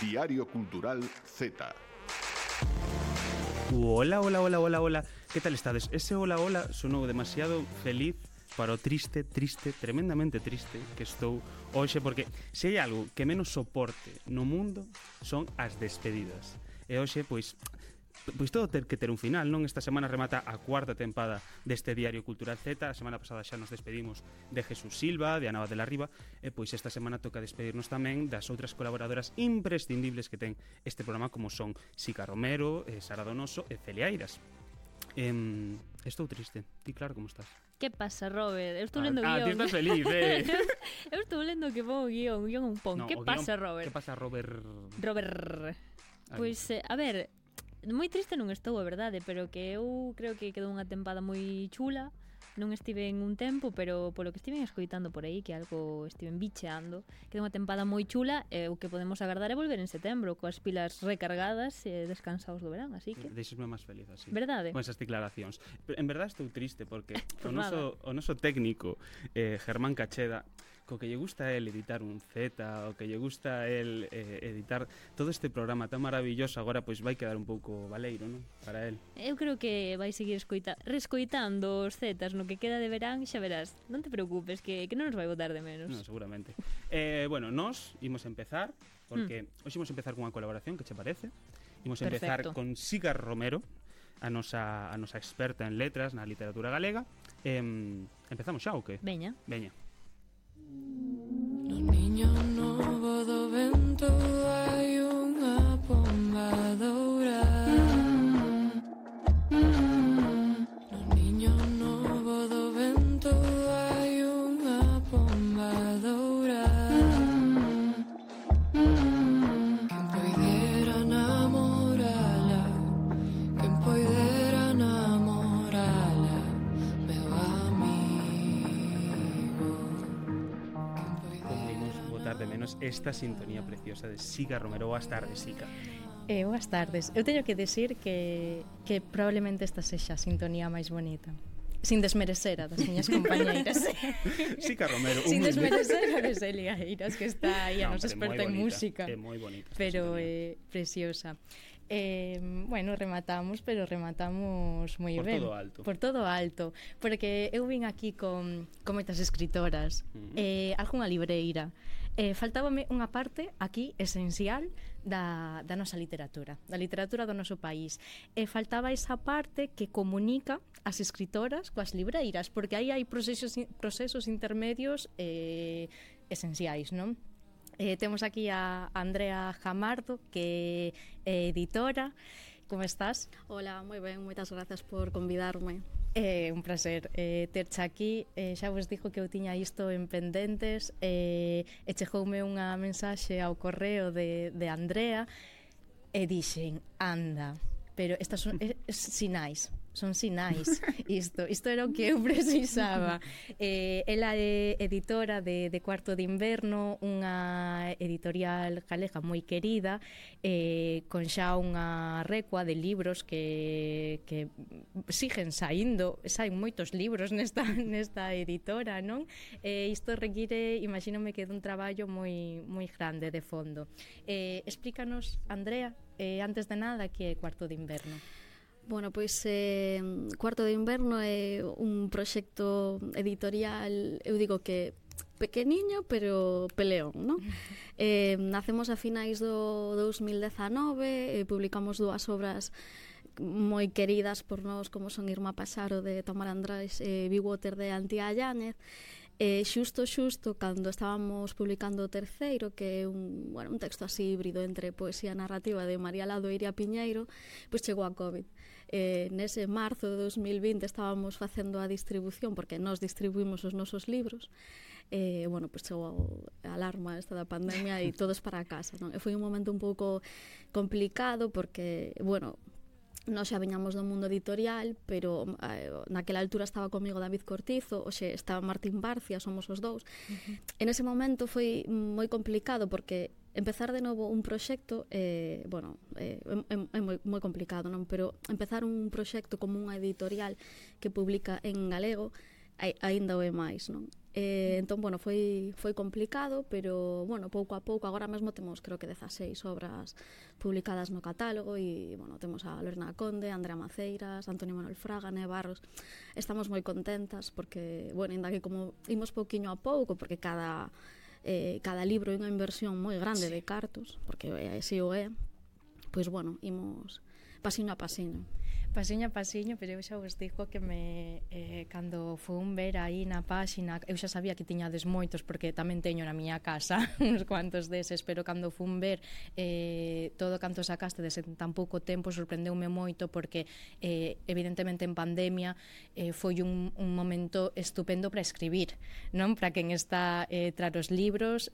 Diario Cultural Z. Hola, hola, hola, hola, hola. Que tal estades? Ese hola, hola sonou demasiado feliz para o triste, tremendamente triste que estou hoxe, porque se hai algo que menos soporte no mundo son as despedidas. E hoxe, pois todo ter que ter un final, non? Esta semana remata a cuarta tempada deste Diario Cultural Z. A semana pasada xa nos despedimos de Jesús Silva, de Ana de la Riva, e pois esta semana toca despedirnos tamén das outras colaboradoras imprescindibles que ten este programa, como son Sica Romero, Sara Donoso e Celia Eiras. Estou triste. Ti, claro, como estás? Que pasa, Robert? Eu estou lendo o guión. Ti estás feliz, Eu estou lendo que pon o guión un pon. Que pasa, Robert? Que pasa, Robert? Pois, a ver, moi triste non estou, é verdade, pero que eu creo que quedou unha tempada moi chula. Non estive en un tempo, pero polo que estiven escoitando por aí, que algo estiven bicheando, quedou unha tempada moi chula, e o que podemos agardar é volver en setembro, coas pilas recargadas e descansados do verán, así que... Deixesme máis feliz así. Verdade? Con esas declaracións. Pero en verdade estou triste porque Pues o noso técnico, Germán Cacheda, co que lle gusta a él editar un Z, o que lle gusta a él editar todo este programa tan maravilloso, agora pois vai quedar un pouco baleiro, non? Para él. Eu creo que vai seguir rescoitando os Zetas no que queda de verán, xa verás. Non te preocupes, que non nos vai botar de menos. Non, seguramente. Bueno, nós imos empezar, porque hoxe imos empezar cunha colaboración, que che parece? Imos empezar con Sica Romero, a nosa experta en letras na literatura galega. Empezamos xa ou que? Veña. No niño novo do vento hai unha pomba dourada. No niño novo do vento hai unha pomba dourada. Quen poidera namorala, quen poidera namorala, meu amigo. Podemos botar de menos esta sintonía preciosa de Sica Romero. Boas tardes, Sica. Boas tardes. Eu teño que decir que probablemente esta sexa a sintonía máis bonita. Sin desmerecer a das miñas compañeiras. Sica Romero. Sin desmerecer a de Celia Eiras, que está aí a nos experta en música. É moi bonita. Pero é preciosa. Bueno, rematamos moi ben. Por todo alto. Porque eu vin aquí con moitas escritoras, algunha libreira. Faltábame unha parte aquí esencial da nosa literatura, da literatura do noso país. Faltaba esa parte que comunica as escritoras coas libreiras, porque aí hai procesos intermedios esenciais, non? Temos aquí a Andrea Jamardo, que é editora. Como estás? Hola, moi ben, moitas grazas por convidarme. É un placer terche aquí. Xa vos dixo que eu tiña isto en pendentes, e chegoume unha mensaxe ao correo de Andrea e dixen, anda, pero estas son sinais. Son sinais. Isto era o que eu precisaba. Ela é editora de Cuarto de Inverno, unha editorial galega moi querida, con xa unha recua de libros que siguen saíndo. Saen moitos libros nesta editora, non? Isto require, imagínome que dun traballo moi grande de fondo. Explícanos, Andrea, antes de nada, que é Cuarto de Inverno. Bueno, pois Cuarto de Inverno é un proxecto editorial, eu digo que pequeniño, pero peleón, non? Nacemos a finais do 2019, publicamos dúas obras moi queridas por nós, como son Irma Pasaro, de Tamara Andrés, e Be Water, de Antía Yáñez. Xusto cando estábamos publicando o terceiro, que é un texto así híbrido entre poesía narrativa de María Lado e Iria Piñeiro, pois chegou a COVID. Nese marzo de 2020 estábamos facendo a distribución, porque nós distribuímos os nosos libros, pois chegou a alarma esta da pandemia e todos para a casa, non? E foi un momento un pouco complicado porque, nós xa viñamos do mundo editorial, pero naquela altura estaba comigo David Cortizo, hoxe estaba Martín Barcia, somos os dous. En ese momento foi moi complicado porque empezar de novo un proxecto é moi complicado, non? Pero empezar un proxecto como unha editorial que publica en galego aínda o é máis, non? Entón, bueno, foi complicado, pero, bueno, pouco a pouco, agora mesmo temos, creo que 16 obras publicadas no catálogo e, bueno, temos a Lorena Conde, Andrea Maceiras, Antonio Manuel Fraga, Né Barros. Estamos moi contentas porque, bueno, ainda que como imos pouquiño a pouco, porque cada libro é unha inversión moi grande de cartos, porque así o é, pois, bueno, imos pasiño a pasiño. Pasiño a pasiño, pero eu xa vos digo que cando fun ver aí na páxina, eu xa sabía que tiñades moitos, porque tamén teño na miña casa uns cuantos deses, pero cando fun ver todo canto sacaste en tan pouco tempo, sorprendeume moito, porque evidentemente en pandemia foi un momento estupendo para escribir, non? Para quen está tras os libros,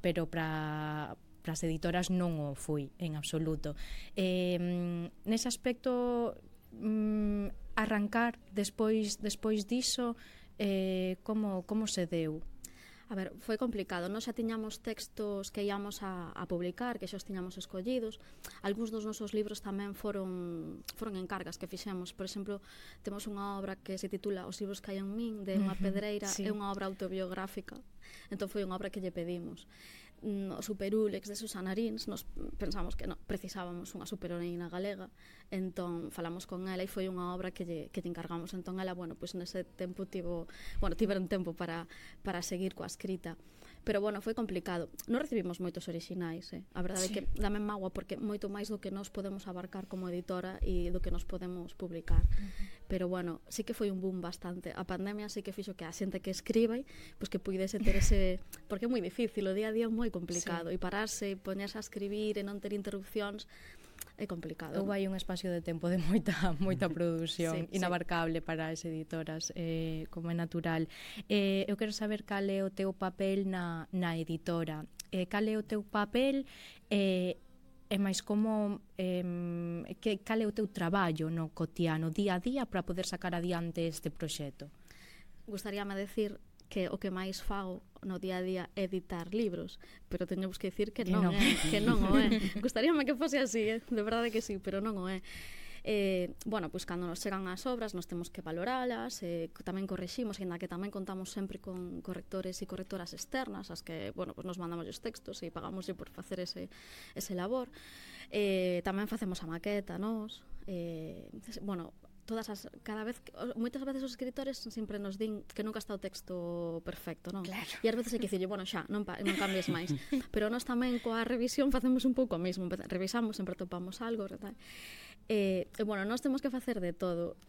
pero para as editoras non o foi en absoluto. Nese aspecto, arrancar despois diso, como se deu? A ver, foi complicado. Nós xa tiñamos textos que íamos a publicar, que xa os tiñamos escollidos. Algúns dos nosos libros tamén foron encargas que fixemos. Por exemplo, temos unha obra que se titula Os libros que hai en min, de unha pedreira, é unha obra autobiográfica. Entón foi unha obra que lle pedimos. O Superúlex de Susana Rins, nos pensamos que precisábamos unha superheroína galega, entón falamos con ela e foi unha obra que lle encargamos. Entón ela, bueno, pois nese tempo tiveron tempo para seguir coa escrita. Pero, bueno, foi complicado. Non recibimos moitos orixinais, A verdade é que dame mágoa porque moito máis do que nos podemos abarcar como editora e do que nos podemos publicar. Pero, bueno, sí que foi un boom bastante. A pandemia sí que fixo que a xente que escribe, pois que puidese ter ese... Porque é moi difícil, o día a día é moi complicado. E pararse, e poñerse a escribir e non ter interrupcións é complicado. Houve aí un espacio de tempo de moita produción inabarcable para as editoras, como é natural. Eu quero saber cal é o teu papel na editora. Cal é o teu papel e máis como cal é o teu traballo no cotidiano, día a día, para poder sacar adiante este proxecto? Gustaríame decir que o que máis fago no día a día é editar libros, pero teñemos que dicir que non o é. Gustaríame que fose así, de verdade que sí, pero non o é. Bueno, pois cando nos chegan as obras nos temos que valoralas, tamén correximos, ainda que tamén contamos sempre con correctores e correctoras externas, as que, bueno, pois nos mandamos os textos e pagamos por facer ese labor. Tamén facemos a maqueta, nos. Bueno, moitas veces os escritores sempre nos din que nunca está o texto perfecto, non? Claro. E ás veces hai que dicirlle, bueno, xa, non cambies máis. Pero nós tamén coa revisión facemos un pouco o mesmo, revisamos, sempre topamos algo, tal. Bueno, nós temos que facer de todo.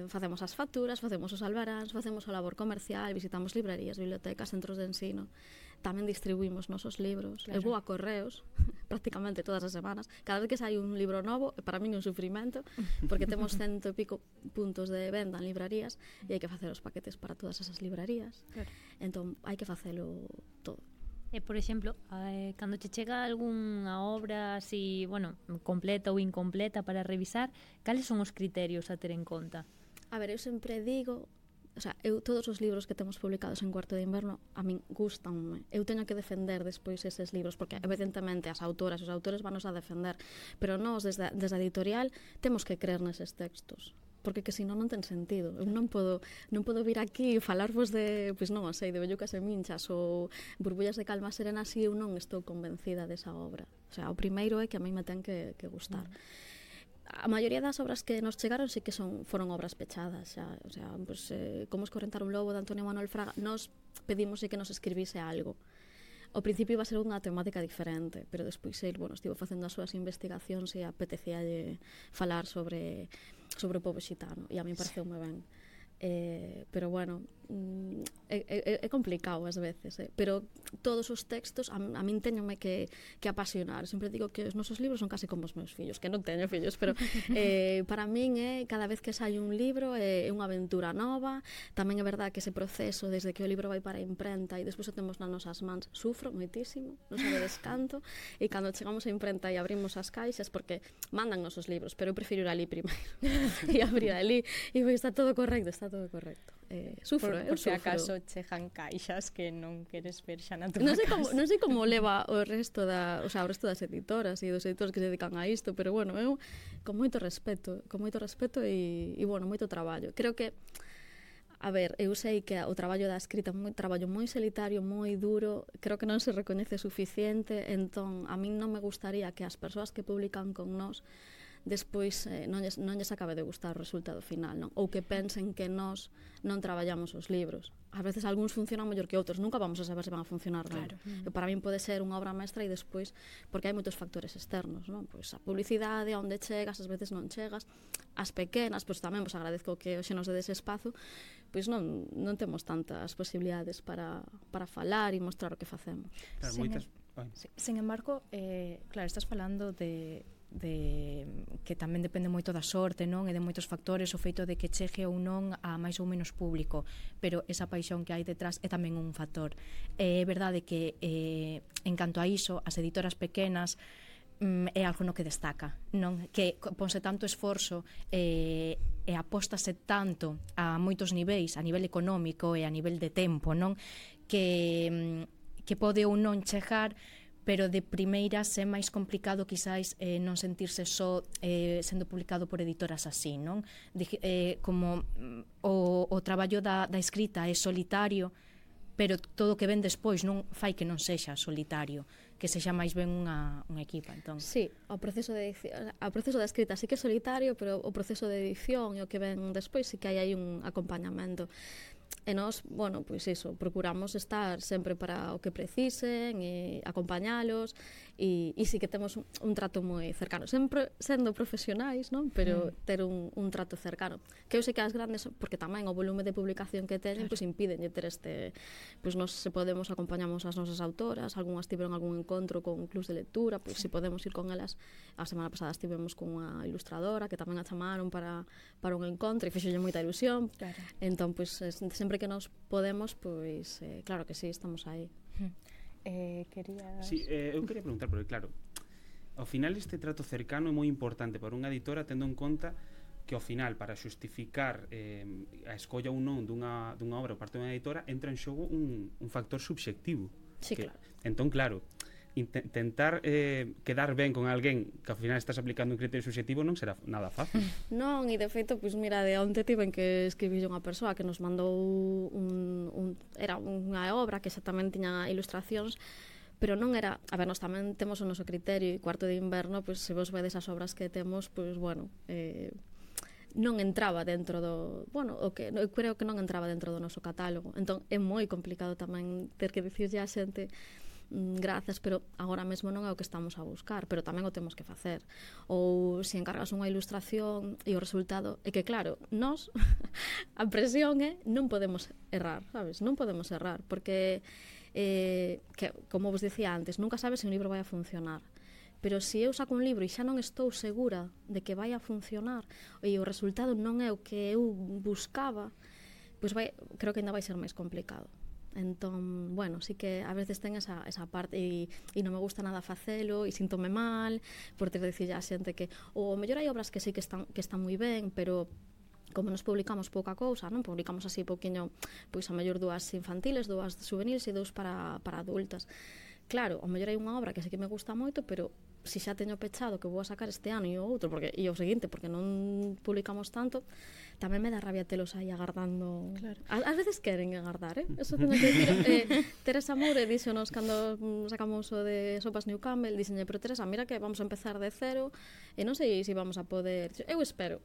Facemos as facturas, facemos os albaráns, facemos o labor comercial, visitamos librarías, bibliotecas, centros de ensino. Tamén distribuímos nosos libros. Eu vou a correos prácticamente todas as semanas. Cada vez que sai un libro novo, para mí é un sufrimento, porque temos 100 e pico puntos de venda en librarías e hai que facer os paquetes para todas esas librarías. Claro. Entón, hai que facelo todo. Por exemplo, cando che chega algunha obra así, bueno, completa ou incompleta para revisar, cales son os criterios a ter en conta? A ver, eu sempre digo... O sea, todos os libros que temos publicados en Cuarto de Inverno a min gustanme. Eu teño que defender despois eses libros, porque evidentemente as autoras e os autores vanos a defender, pero nós desde a editorial temos que creer neses textos, porque que senón non ten sentido. Eu non podo vir aquí e falarvos de, pois non sei, de Bellucas e Minchas ou Burbullas de Calma Serena se eu non estou convencida desa obra. O sea, o primeiro é que a mí me ten que gustar. A maioría das obras que nos chegaron sí que foron obras pechadas xa, o sea, pues, Como escorrentar un lobo de Antonio Manuel Fraga, nos pedimos que nos escribise algo. Ao principio iba a ser unha temática diferente, pero despois bueno, estivo facendo as súas investigacións e apetecíalle falar sobre o pobo xitano e a mí pareceume ben. Pero bueno, é complicado ás veces, pero todos os textos a min teñome que apasionar. Sempre digo que os nosos libros son case como os meus fillos, que non teño fillos, pero para min cada vez que sai un libro é unha aventura nova. Tamén é verdade que ese proceso desde que o libro vai para a imprenta e despois o temos nas nosas mans, sufro moitísimo, non sabe descanto, e cando chegamos á imprenta e abrimos as caixas, porque mandan nosos libros, pero eu prefiro ir ali primeiro e abrir ali e está todo correcto, sufro, por se acaso chegan caixas que non queres ver xa na tua casa. Non sei como leva o resto das editoras e dos editores que se dedican a isto, pero bueno, eu con moito respeto e bueno, moito traballo. Creo que A ver, eu sei que o traballo da escrita é un traballo moi solitario, moi duro, creo que non se recoñece suficiente, entón a min non me gustaría que as persoas que publican con nós despois non lles acabe de gustar o resultado final, non? Ou que pensen que nós non traballamos os libros. A veces algúns funcionan mellor que outros, nunca vamos a saber se van a funcionar ben. Para min pode ser unha obra mestra e despois, porque hai moitos factores externos, non? Pois a publicidade, a onde chegas, ás veces non chegas, as pequenas, pois tamén vos agradezco que hoxe nos dedes espazo, pois non temos tantas posibilidades para falar e mostrar o que facemos. Claro, moitas... Sen embargo, claro, estás falando de que tamén depende moito da sorte, non? E de moitos factores, o feito de que chegue ou non a máis ou menos público, pero esa paixón que hai detrás é tamén un factor. É verdade que en canto a iso, as editoras pequenas é algo no que destaca, non? Que ponse tanto esforzo e apóstase tanto a moitos niveis, a nivel económico e a nivel de tempo, non? Que pode ou non chegar, pero de primeiras é máis complicado quizáis non sentirse só sendo publicado por editoras así, non? Como o traballo da escrita é solitario, pero todo o que ven despois non fai que non sexa solitario, que sexa máis ben unha equipa, entón. Sí, o proceso da escrita sí que é solitario, pero o proceso de edición e o que ven despois sí que hai aí un acompañamento. E nós, bueno, pois iso, procuramos estar sempre para o que precisen e acompañalos e sí que temos un trato moi cercano, sempre sendo profesionais, non? Pero ter un trato cercano, que eu sei que as grandes, porque tamén o volume de publicación que teñen, pois impiden ter este, pois nós se podemos acompañamos as nosas autoras, algunhas tiveron algún encontro con clubs de lectura, pois se podemos ir con elas. A semana pasada estivemos con unha ilustradora que tamén a chamaron para un encontro e fixolle moita ilusión. Claro. Entón, pois sempre que nos podemos, pois claro que sí, estamos aí. Querías... Sí, eu quería preguntar, porque claro, ao final este trato cercano é moi importante para unha editora, tendo en conta que ao final, para xustificar a escolla ou non dunha obra por parte dunha editora, entra en xogo un factor subxectivo. Sí, que, claro. Entón, claro, intentar quedar ben con alguén que ao final estás aplicando un criterio subxectivo non será nada fácil. Non, e de feito, pois mira, de onte tiven que escribir unha persoa que nos mandou era unha obra que xa tamén tiña ilustracións, pero non era, a ver, nós tamén temos o noso criterio e Cuarto de Inverno, pois se vos vedes as obras que temos, pois bueno, non entraba dentro do, bueno, o que eu creo que non entraba dentro do noso catálogo. Entón é moi complicado tamén ter que dicirlle á xente grazas, pero agora mesmo non é o que estamos a buscar, pero tamén o temos que facer. Ou se encargas unha ilustración e o resultado é que, claro, nós a presión é non podemos errar, sabes? Non podemos errar, porque que, como vos dicía antes, nunca sabes se un libro vai a funcionar. Pero se eu saco un libro e xa non estou segura de que vai a funcionar e o resultado non é o que eu buscaba, pois creo que ainda vai ser máis complicado. Entón, bueno, sí que a veces ten esa parte e non me gusta nada facelo e síntome mal por ter de dicir a xente que o mellor hai obras que sí que están moi ben, pero como nos publicamos pouca cousa, non publicamos así pouquiño, pois a mellor 2 infantiles, 2 juveniles e 2 para adultas. Claro, o mellor hai unha obra que sí que me gusta moito, pero se xa teño pechado que vou a sacar este ano e o outro, e o seguinte, porque non publicamos tanto, tamén me dá rabia telos aí agardando. Claro. Ás veces queren agardar, Eso teño que dicir. Teresa Moure díxonos cando sacamos o de Sopas New Campbell, díxenlle, pero Teresa, mira que vamos a empezar de cero e non sei se vamos a poder. Eu espero,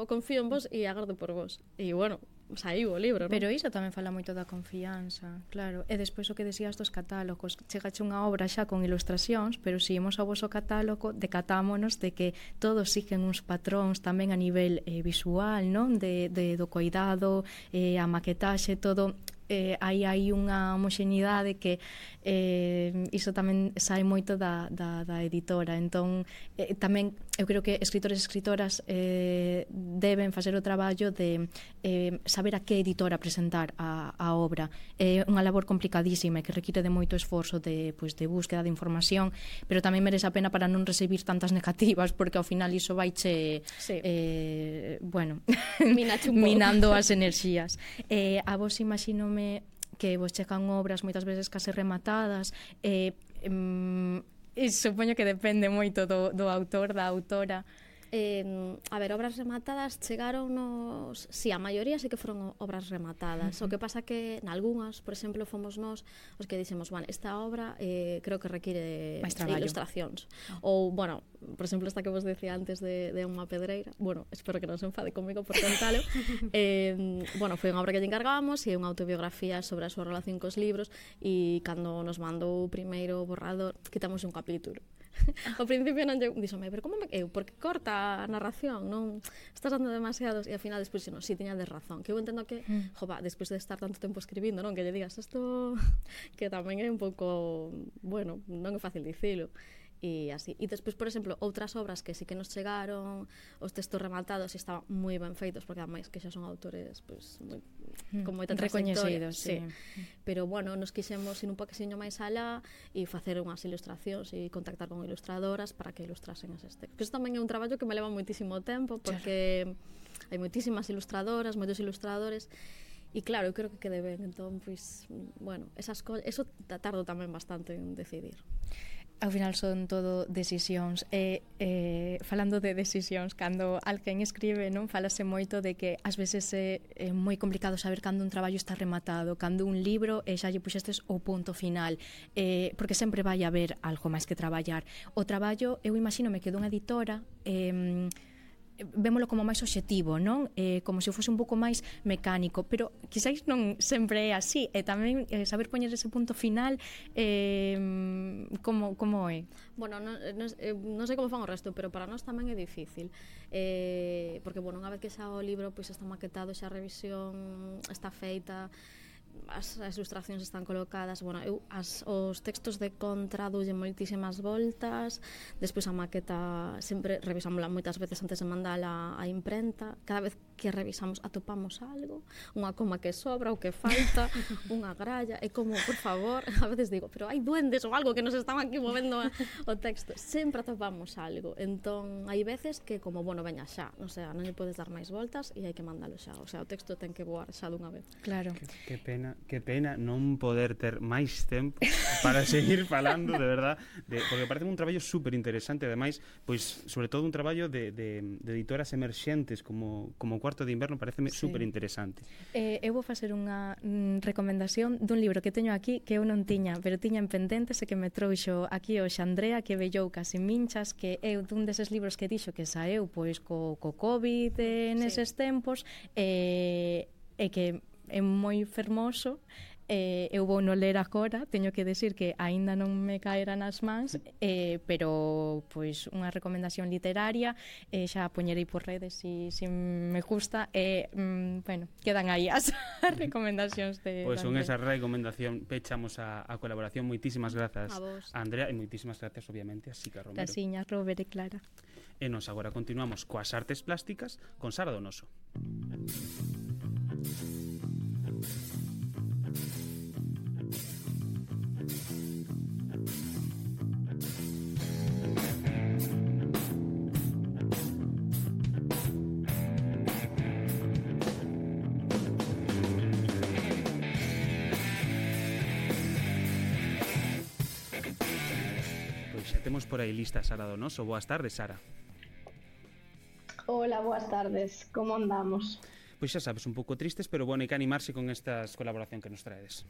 confío en vos e agardo por vos. E bueno, saiu o libro, non? Pero iso tamén fala moito da confianza, claro. E despois o que decías dos catálogos, chegache unha obra xa con ilustracións, pero se imos ao voso catálogo, decatámonos de que todos siguen uns patróns tamén a nivel visual, non? Do cuidado, a maquetaxe, todo. Hai unha homoxeneidade que iso tamén sae moito da editora. Entón, tamén eu creo que escritores e escritoras deben facer o traballo de saber a que editora presentar a obra. É unha labor complicadísima e que require de moito esforzo de búsqueda de información, pero tamén merece a pena para non recibir tantas negativas, porque ao final iso vaiche bueno, minando as enerxías. A vos imagínome que vos chegan obras moitas veces case rematadas, supoño que depende moito do autor, da autora, A ver, obras rematadas chegaronnos, sí, a maioría sí que foron obras rematadas. O que pasa que nalgúnas, por exemplo, fomos nós os que dixemos, bueno, esta obra creo que require ilustracións. Ou, bueno, por exemplo, esta que vos decía antes de unha pedreira, bueno, espero que non se enfade comigo por contalo. Bueno, foi unha obra que lle encargábamos e unha autobiografía sobre a súa relación cos libros, e cando nos mandou o primeiro borrador, quitamos un capítulo. Ao principio non lle díxome, pero como me eu, porque corta a narración, non estás dando demasiados, e ao final despois non, si tiña de razón, que eu entendo que, jova, despois de estar tanto tempo escribindo, non, que lle digas isto que tamén é un pouco, bueno, non é fácil dicilo. E así. E despois, por exemplo, outras obras que sí que nos chegaron, os textos rematados estaban moi ben feitos, porque ademais que xa son autores pues, moi, con moita recoñecidos, sí. Pero bueno, nos quixemos ir un poqueciño máis alá e facer unhas ilustracións e contactar con ilustradoras para que ilustrasen eses textos. Que isto tamén é un traballo que me leva moitísimo tempo, porque hai moitísimas ilustradoras, moitos ilustradores. E claro, eu creo que quede ben, entón, pois, bueno, eso tardo tamén bastante en decidir. Ao final son todo decisións falando de decisións, cando alguén escribe, non, falase moito de que ás veces é moi complicado saber cando un traballo está rematado, cando un libro xa lle puxestes o punto final, porque sempre vai haber algo máis que traballar. O traballo, eu imagínome que dunha editora vémolo como máis obxectivo, non? Como se fose un pouco máis mecánico, pero quizáis non sempre é así, e tamén saber poñer ese punto final como é? Bueno, non sei como fan o resto, pero para nós tamén é difícil, porque, bueno, unha vez que xa o libro pois está maquetado, xa a revisión está feita, as ilustracións están colocadas, bueno, eu os textos de contra doulle moitísimas voltas, despois a maqueta sempre revisámola moitas veces antes de mandala á imprenta, cada vez que revisamos atopamos algo, unha coma que sobra ou que falta, unha gralla, é como, por favor, a veces digo, pero hai duendes ou algo que nos están aquí movendo o texto, sempre atopamos algo, entón hai veces que como, bueno, veña xa, o sea, non lle podes dar máis voltas e hai que mandalo xa, o sea, o texto ten que voar xa dunha vez. Claro. Que pena non poder ter máis tempo para seguir falando, de verdad, porque parece un traballo super interesante, ademais, pois, sobre todo un traballo de editoras emerxentes como Cuarto de Inverno, pareceme super interesante. Eu vou facer unha recomendación dun libro que teño aquí que eu non tiña, pero tiña en pendentes e que me trouxo aquí hoxe Andrea, que vellou casi minchas, que é dun deses libros que dixo que saeu pois co COVID neses tempos, e que é moi fermoso. Eu vou no ler agora, teño que decir que aínda non me caera nas mans, pero pois unha recomendación literaria, xa poñerei por redes se me gusta, bueno, quedan aí as recomendacións de pois con esa recomendación pechamos a colaboración. Moitísimas grazas a Andrea, e moitísimas grazas obviamente a Sica Romero. Casiña, Robert e Clara. E nos agora continuamos coas artes plásticas con Sara Donoso. Temos por aí lista Sara Donoso. Boas tardes, Sara. Hola, boas tardes. Como andamos? Pois xa sabes, un pouco tristes, pero bueno, hai que animarse con estas colaboración que nos traedes.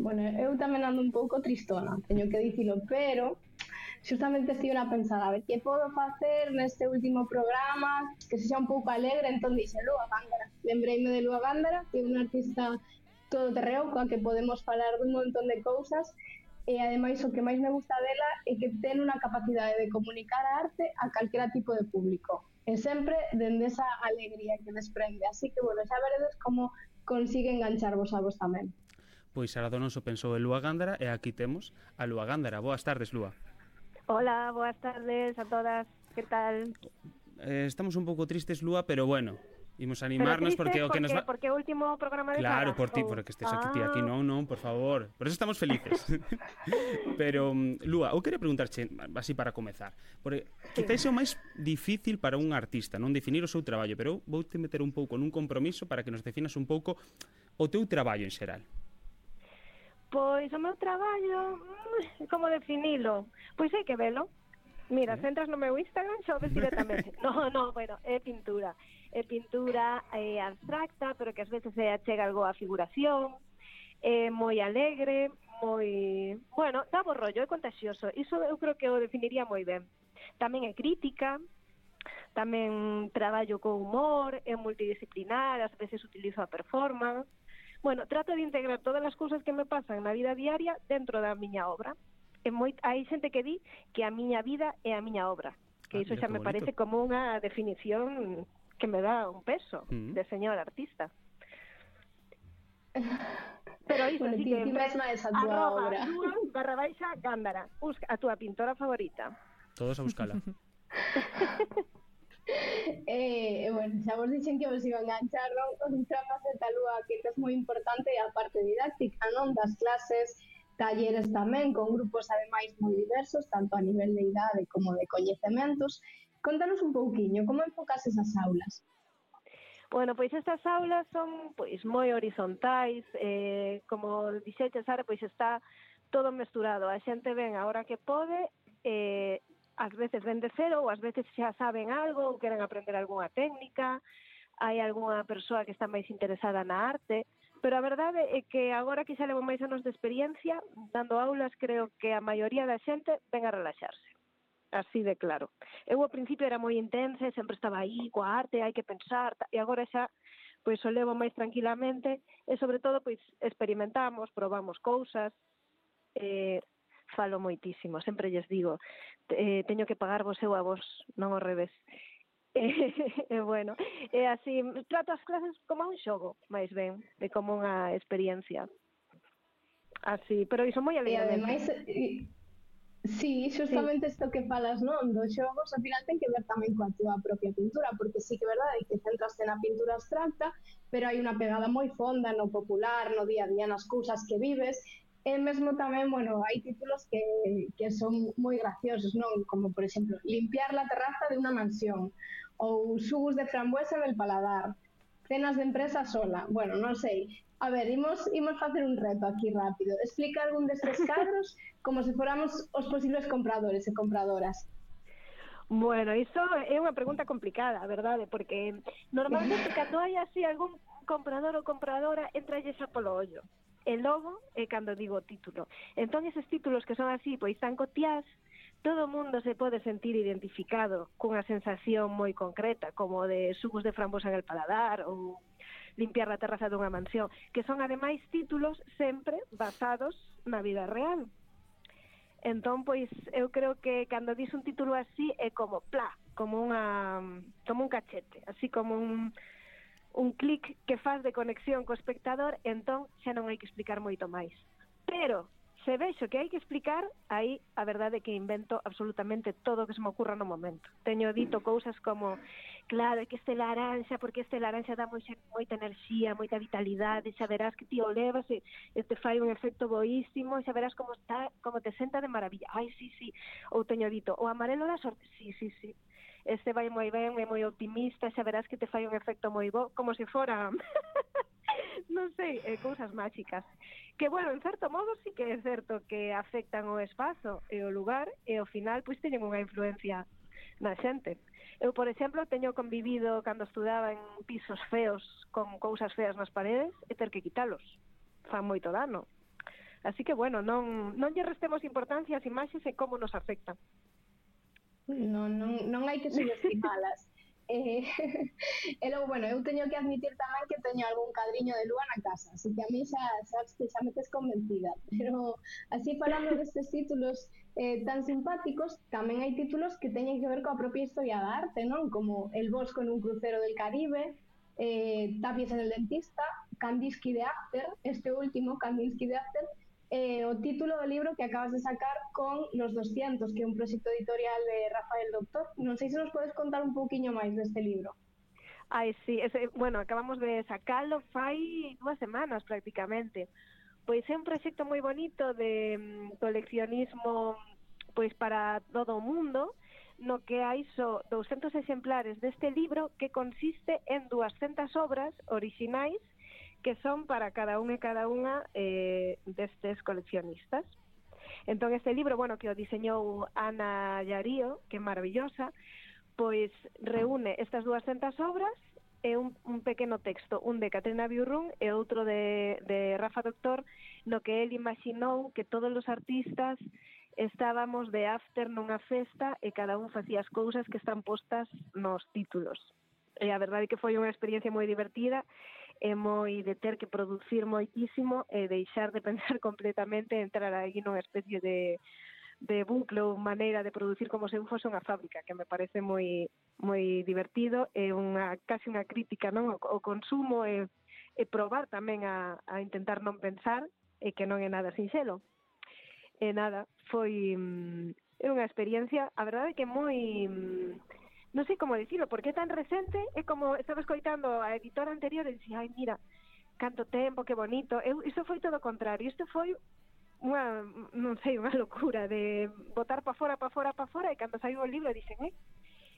Bueno, eu tamén ando un pouco tristona, teño que dicilo, pero xustamente estive a pensar, a ver, que podo facer neste último programa que sexa un pouco alegre, entón dixe Lúa Gándara. Lembreime de Lúa Gándara, que é unha artista todoterreo coa que podemos falar dun montón de cousas. E ademais o que máis me gusta dela é que ten unha capacidade de comunicar a arte a calquera tipo de público e sempre dende esa alegría que desprende, así que bueno, xa veredes como consigue engancharvos a vos tamén. Pois Sara Donoso pensou en Lúa Gándara e aquí temos a Lúa Gándara. Boas tardes, Lúa. Hola, boas tardes a todas, que tal? Estamos un pouco tristes, Lúa, pero bueno, imos animarnos porque o que nos va... Porque o último programa de Claro, Sara, por ti, porque estés aquí, non, por favor. Por eso estamos felices. Pero, Lúa, eu queria preguntarche, así para comezar, porque quizás é o máis difícil para un artista, non definir o seu traballo, pero eu vou-te meter un pouco nun compromiso para que nos definas un pouco o teu traballo en xeral. Pois o meu traballo, como definilo? Pois hai que velo. Mira, se entras no meu Instagram xa o ves directamente. No, bueno, é pintura. É pintura abstracta, pero que ás veces se achega algo a figuración. É moi alegre, moi... Bueno, dá bo rollo, é contagioso. Iso eu creo que o definiría moi ben. Tamén é crítica, tamén traballo con humor, é multidisciplinar, ás veces utilizo a performance. Bueno, trato de integrar todas as cousas que me pasan na vida diaria dentro da miña obra. Hai xente que di que a miña vida é a miña obra, que iso xa me parece como unha definición que me dá un peso de señor artista. Pero iso bueno, sí que mesma esa túa obra. @Gándara, busca a túa pintora favorita. Todos a buscala. Bueno, xa vos dixen que vos iban a enganchar, non? Outra faceta, Lúa, que é moi importante é a parte didáctica, non? Das clases, talleres tamén, con grupos ademais moi diversos, tanto a nivel de idade como de coñecementos. Contanos un pouquiño, como enfocas esas aulas? Bueno, pois estas aulas son pois moi horizontais, como dixeche, Sara, pois está todo mesturado. A xente ven a hora que pode, ás veces ven de cero, ou ás veces xa saben algo, ou queren aprender algunha técnica, hai algunha persoa que está máis interesada na arte, pero a verdade é que agora que xa levo máis anos de experiencia, dando aulas, creo que a maioría da xente ven a relaxarse. Así de claro. Eu ao principio era moi intensa, sempre estaba aí coa arte, hai que pensar, e agora xa pois o levo máis tranquilamente, e sobre todo pois experimentamos, probamos cousas, falo moitísimo, sempre lles digo, teño que pagarvos eu a vos, non ao revés. Bueno, é así, trato as clases como un xogo, máis ben, de como unha experiencia. Así, pero iso moi alegremente. E ademais, sí, justamente isto que falas, non, dos xogos, ao final ten que ver tamén coa túa propia pintura, porque sí que é verdade que centraste na pintura abstracta, pero hai unha pegada moi fonda no popular, no día a día, nas cousas que vives, e mesmo tamén, bueno, hai títulos que son moi graciosos, non? Como, por exemplo, limpiar la terraza de unha mansión, ou xugos de frambuesa en el paladar, cenas de empresa sola, bueno, non sei. A ver, imos facer un reto aquí rápido. Explica algún destes cadros como se fóramos os posibles compradores e compradoras. Bueno, iso é unha pregunta complicada, a verdade, porque normalmente cando hai así algún comprador ou compradora entralle xa polo ollo. E logo é cando digo o título. Entón, eses títulos que son así, pois tan cotiás, todo o mundo se pode sentir identificado cunha sensación moi concreta, como de xugos de frambosa en el paladar ou limpiar a terraza dunha mansión, que son ademais títulos sempre basados na vida real. Entón, pois, eu creo que cando dis un título así é como plá, como un cachete, así como un clic que faz de conexión co espectador, entón xa non hai que explicar moito máis. Pero se vexo que hai que explicar, aí a verdade é que invento absolutamente todo o que se me ocurra no momento. Teño dito cousas como, claro, é que este laranxa, porque este laranxa dá moita enerxía, moita vitalidade, xa verás que ti o levas e te fai un efecto boísimo, xa verás como te senta de maravilla. Ai, sí. Ou teño dito, o amarelo da sorte, sí. Este vai moi ben, é moi optimista, xa verás que te fai un efecto moi bo, como se fora... non sei, cousas máxicas que, bueno, en certo modo sí que é certo que afectan o espazo e o lugar e ao final pois teñen unha influencia na xente. Eu, por exemplo, teño convivido cando estudaba en pisos feos con cousas feas nas paredes e ter que quitalos, fan moito dano, así que, bueno, non lle restemos importancia ás imaxes e como nos afectan. Non hai que subestimalas. E logo, bueno, eu teño que admitir tamén que teño algún cadriño de Lúa na casa, así que a mí xa sabes que xa me tes convencida, pero así falando destes títulos tan simpáticos, tamén hai títulos que teñen que ver coa propia historia da arte, non? Como El Bosco en un crucero del Caribe, Tapies en el dentista, Kandinsky de After, este último, Kandinsky de After, o título do libro que acabas de sacar con Los 200, que é un proxecto editorial de Rafael Doctor. Non sei se nos podes contar un pouquiño máis deste libro. Ai, sí, bueno, acabamos de sacalo fai 2 semanas prácticamente. Pois é un proxecto moi bonito de coleccionismo pois para todo o mundo, no que hai só 200 exemplares deste libro que consiste en 200 obras orixinais que son para cada un e cada unha destes coleccionistas. Entón este libro, bueno, que o diseñou Ana Llarío, que é maravillosa, pois reúne estas 200 obras e un pequeno texto, un de Caterina Biurrun e outro de Rafa Doctor, no que el imaginou que todos os artistas estábamos de after nunha festa e cada un facía as cousas que están postas nos títulos. E a verdade é que foi unha experiencia moi divertida e moi de ter que producir moitísimo e deixar de pensar completamente e entrar aí nunha especie de bucle ou maneira de producir como se eu fose unha fábrica, que me parece moi divertido e casi unha crítica, non, ao consumo e probar tamén a intentar non pensar e que non é nada sinxelo. E nada, foi unha experiencia, a verdade é que moi... non sei como dicilo, porque é tan recente, é como estaba escoitando a editora anterior e dicía, ai, mira, canto tempo, que bonito. Iso foi todo o contrario, isto foi unha, non sei, unha locura de botar pa fora, e cando saiu o libro dixen,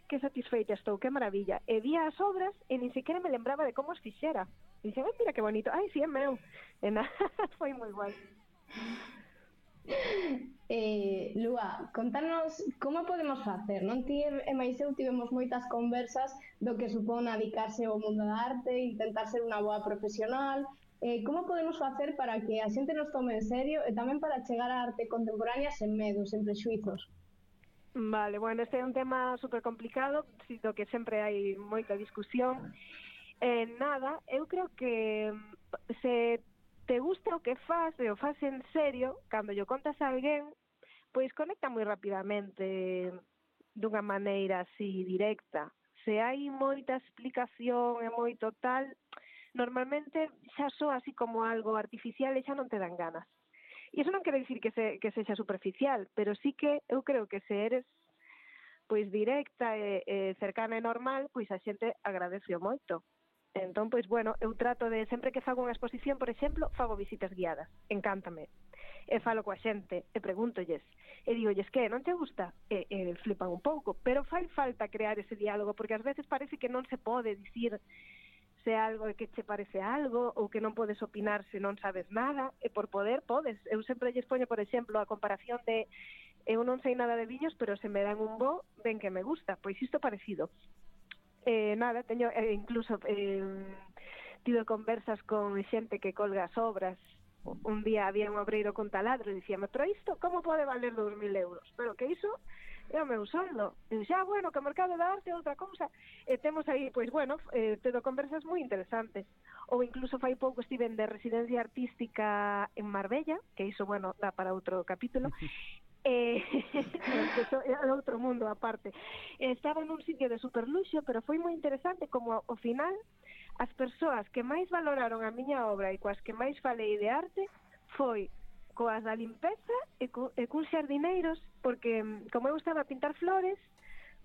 que satisfeita estou, que maravilla. E vía as obras e nin sequera me lembraba de como as fixera. E dixen, mira que bonito, ai, si é meu. E nada, foi moi guai. Lua, contanos como podemos facer, non? Ti e máis eu tivemos moitas conversas do que supón dedicarse ao mundo da arte, intentar ser unha boa profesional. Como podemos facer para que a xente nos tome en serio e tamén para chegar á arte contemporánea sen medo, sen prexuizos? Vale, bueno, este é un tema super complicado, do que sempre hai moita discusión. Nada, eu creo que se te gusta o que faz e o faz en serio, cando lle contas a alguén, pois conecta moi rapidamente dunha maneira así directa. Se hai moita explicación e moito tal, normalmente xa soa así como algo artificial e xa non te dan ganas. E iso non quere dicir que sexa superficial, pero sí que eu creo que se eres pois directa e cercana e normal, pois a xente agradece moito. Entón, pois, bueno, eu trato de, sempre que fago unha exposición, por exemplo, fago visitas guiadas, encántame. E falo coa xente, e pregúntolles, e digolles, que, non te gusta? E flipan un pouco, pero fai falta crear ese diálogo, porque ás veces parece que non se pode dicir se algo que che parece algo, ou que non podes opinar se non sabes nada, e por poder podes. Eu sempre lles poño, por exemplo, a comparación de eu non sei nada de viños, pero se me dan un bo, ben que me gusta, pois isto parecido. Nada, teño incluso tido conversas con xente que colga as obras. Un día había un obreiro con taladro e dicíame, pero isto como pode valer 2.000 euros? Pero que iso é o meu soldo. E xa, bueno, que o mercado da arte é outra cousa. E temos aí, pois, bueno, tedo conversas moi interesantes. Ou incluso fai pouco estiven de residencia artística en Marbella, que iso, bueno, dá para outro capítulo. É outro mundo aparte. Estaba nun sitio de superluxo, pero foi moi interesante como ao final as persoas que máis valoraron a miña obra e coas que máis falei de arte foi coas da limpeza e cuns xardineiros, porque como eu estaba a pintar flores,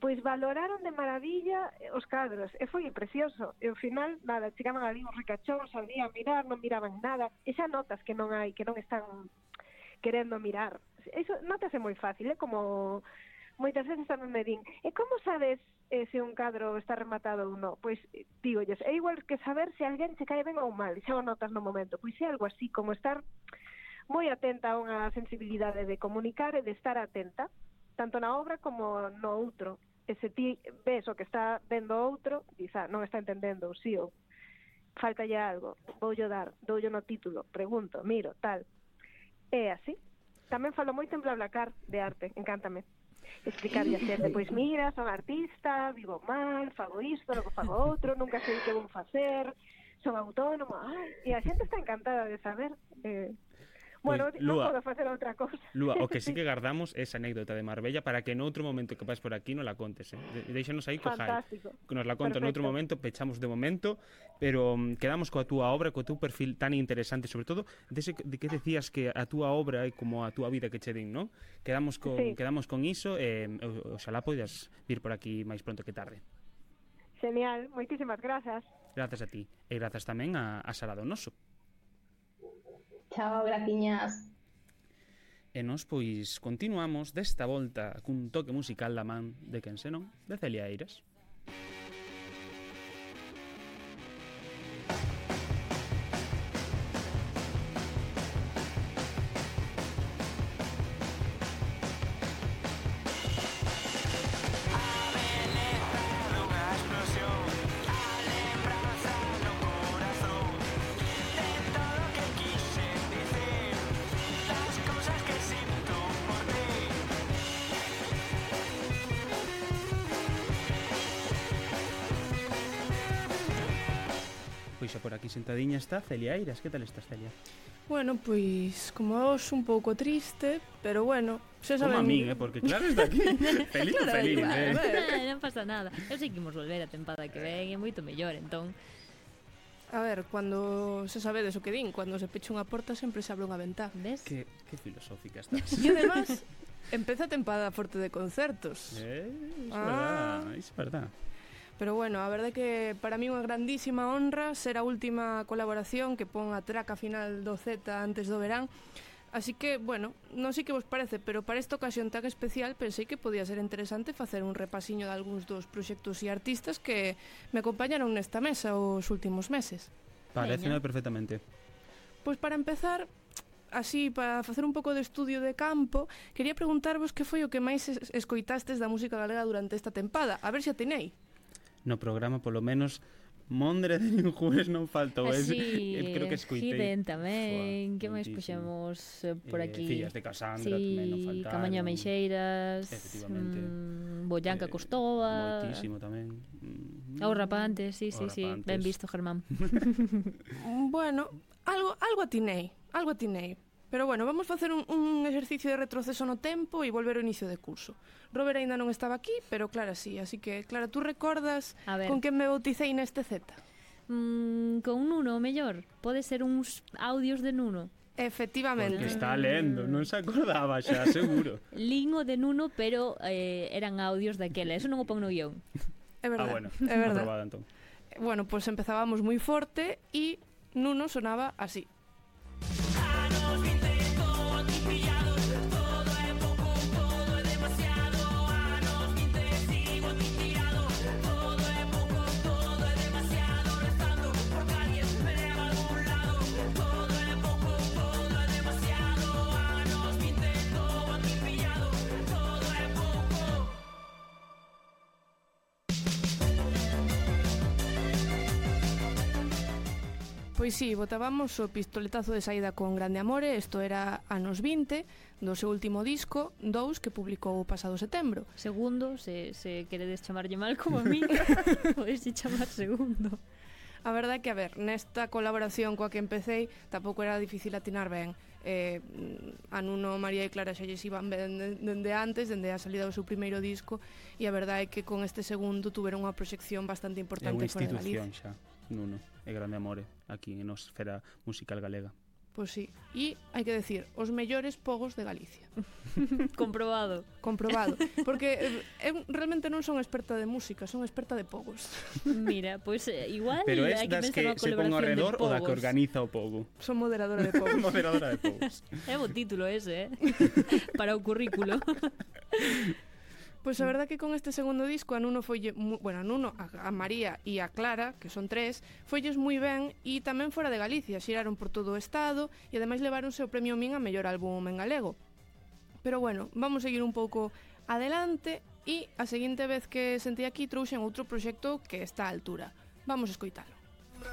pois valoraron de maravilla os cadros, e foi precioso. E ao final, nada, chegaban ali uns ricachóns, salían a mirar, non miraban nada, e xa notas que non hai, que non están querendo mirar. Eso notase moi fácil, como moitas veces tamén me din, e como sabes se un cadro está rematado ou non? Pois dígolles, é igual que saber se alguén se cae ben ou mal, e xa o notas no momento. Pois é algo así, como estar moi atenta a unha sensibilidade de comunicar e de estar atenta, tanto na obra como no outro. E se ti ves o que está vendo outro, quizá non está entendendo, ou si, ou faltalle algo, voullo dar, doullo no título, pregunto, miro, tal. É así. Tamén falo moito en BlaBlaCar de arte, encántame. Explicarlle a xente, pois mira, son artista, vivo mal, fago isto, logo fago outro, nunca sei que vou facer, son autónomo, e a xente está encantada de saber. Bueno, Pois, non Lua, podo facer outra cousa. Lua, o que sí que guardamos é esa anécdota de Marbella para que noutro momento que vais por aquí non la contes, Deixanos aí co hype. Fantástico. Que nos la conto noutro Perfecto. momento, pechamos de momento, pero quedamos coa túa obra, co teu perfil tan interesante, sobre todo de que decías que a túa obra é como a túa vida que che din, non? Quedamos con iso e oxalá poidas vir por aquí máis pronto que tarde. Genial, moitísimas grazas. Grazas a ti e grazas tamén a Sara Donoso. Chao, graciñas. E nós, pois, continuamos desta volta cun toque musical da man de quen senón, de Celia Eiras. Pois xa por aquí sentadiña está Celia Eiras. Que tal estás, Celia? Bueno, pois, como hoxe un pouco triste, pero bueno, xa Como a saben... min, porque claro, está aquí. Feliz ou Claro, feliz, igual, Non pasa nada. Eu sei que imos volver a tempada que ven, é moito mellor, entón. A ver, cando se sabedes o que din, cando se pecha unha porta sempre se abre unha ventá. Ves? Que filosófica estás. E además, empeza a tempada forte de concertos. Iso é verdad. Pero bueno, a verdade é que para mí é unha grandísima honra ser a última colaboración que pon a traca final do Z antes do verán. Así que, bueno, non sei que vos parece, pero para esta ocasión tan especial pensei que podía ser interesante facer un repasiño de algúns dos proxectos e artistas que me acompañaron nesta mesa os últimos meses. Pareceme perfectamente. Pois para empezar, así, para facer un pouco de estudio de campo, quería preguntarvos que foi o que máis escoitastes da música galega durante esta tempada. A ver se atinei. No programa, polo menos, Mondre de Ninjuez non faltou. Así, Creo que escoitei. Hidden tamén. Que máis moitísimo. puxemos por aquí? Fillas de Casandra tamén non faltaron. Camaño Meixeiras. Efectivamente. Boyanca Costova. Moitísimo tamén. Os Rapantes, sí. Rapantes. Ben visto, Germán. Bueno, algo atinei. Pero bueno, vamos facer un exercicio de retroceso no tempo e volver ao inicio de curso. Robert aínda non estaba aquí, pero Clara sí. Así que, Clara, tú recordas con quen me bauticei neste Z? Con Nuno, o mellor. Pode ser uns audios de Nuno. Efectivamente. Porque está lendo, non se acordaba xa, seguro. Lingo de Nuno, pero eran audios daquela. Eso non o pon no guión. É verdade. Bueno, é verdade. aprobada entón. Bueno, pues empezábamos moi forte e Nuno sonaba así. Pois sí, botábamos o pistoletazo de saída con Grande Amore, isto era anos 20, do seu último disco, 2, que publicou o pasado setembro. Segundo, se queredes chamarlle mal como a mí, podes chamar segundo. A verdade é que, a ver, nesta colaboración coa que empecé, tampouco era difícil atinar ben. A Nuno, María e Clara xa lles iban ben dende antes, dende a salida do seu primeiro disco, e a verdade é que con este segundo tuveron unha proxección bastante importante fora de Galicia. É unha institución xa, Nuno, é Grande Amore, aquí en esfera musical galega. Pois sí, e hai que decir, os mellores pogos de Galicia. Comprobado. Porque eu realmente non son experta de música, son experta de pogos. Mira, pois igual pero hai que pensar que unha se pon ao colaboración de redor pogos. o da que organiza o pogo. Son moderadora de pogos. Moderadora de pogos. É bo título ese, para o currículo. Pois a verdade que con este segundo disco a Nuno foille, bueno, a Nuno, a María e a Clara, que son 3, foilles moi ben e tamén fora de Galicia, xiraron por todo o estado e ademais levaronse o premio Min a mellor álbum en galego. Pero bueno, vamos seguir un pouco adelante e a seguinte vez que sentí aquí trouxen outro proxecto que está á altura. Vamos a escoitalo.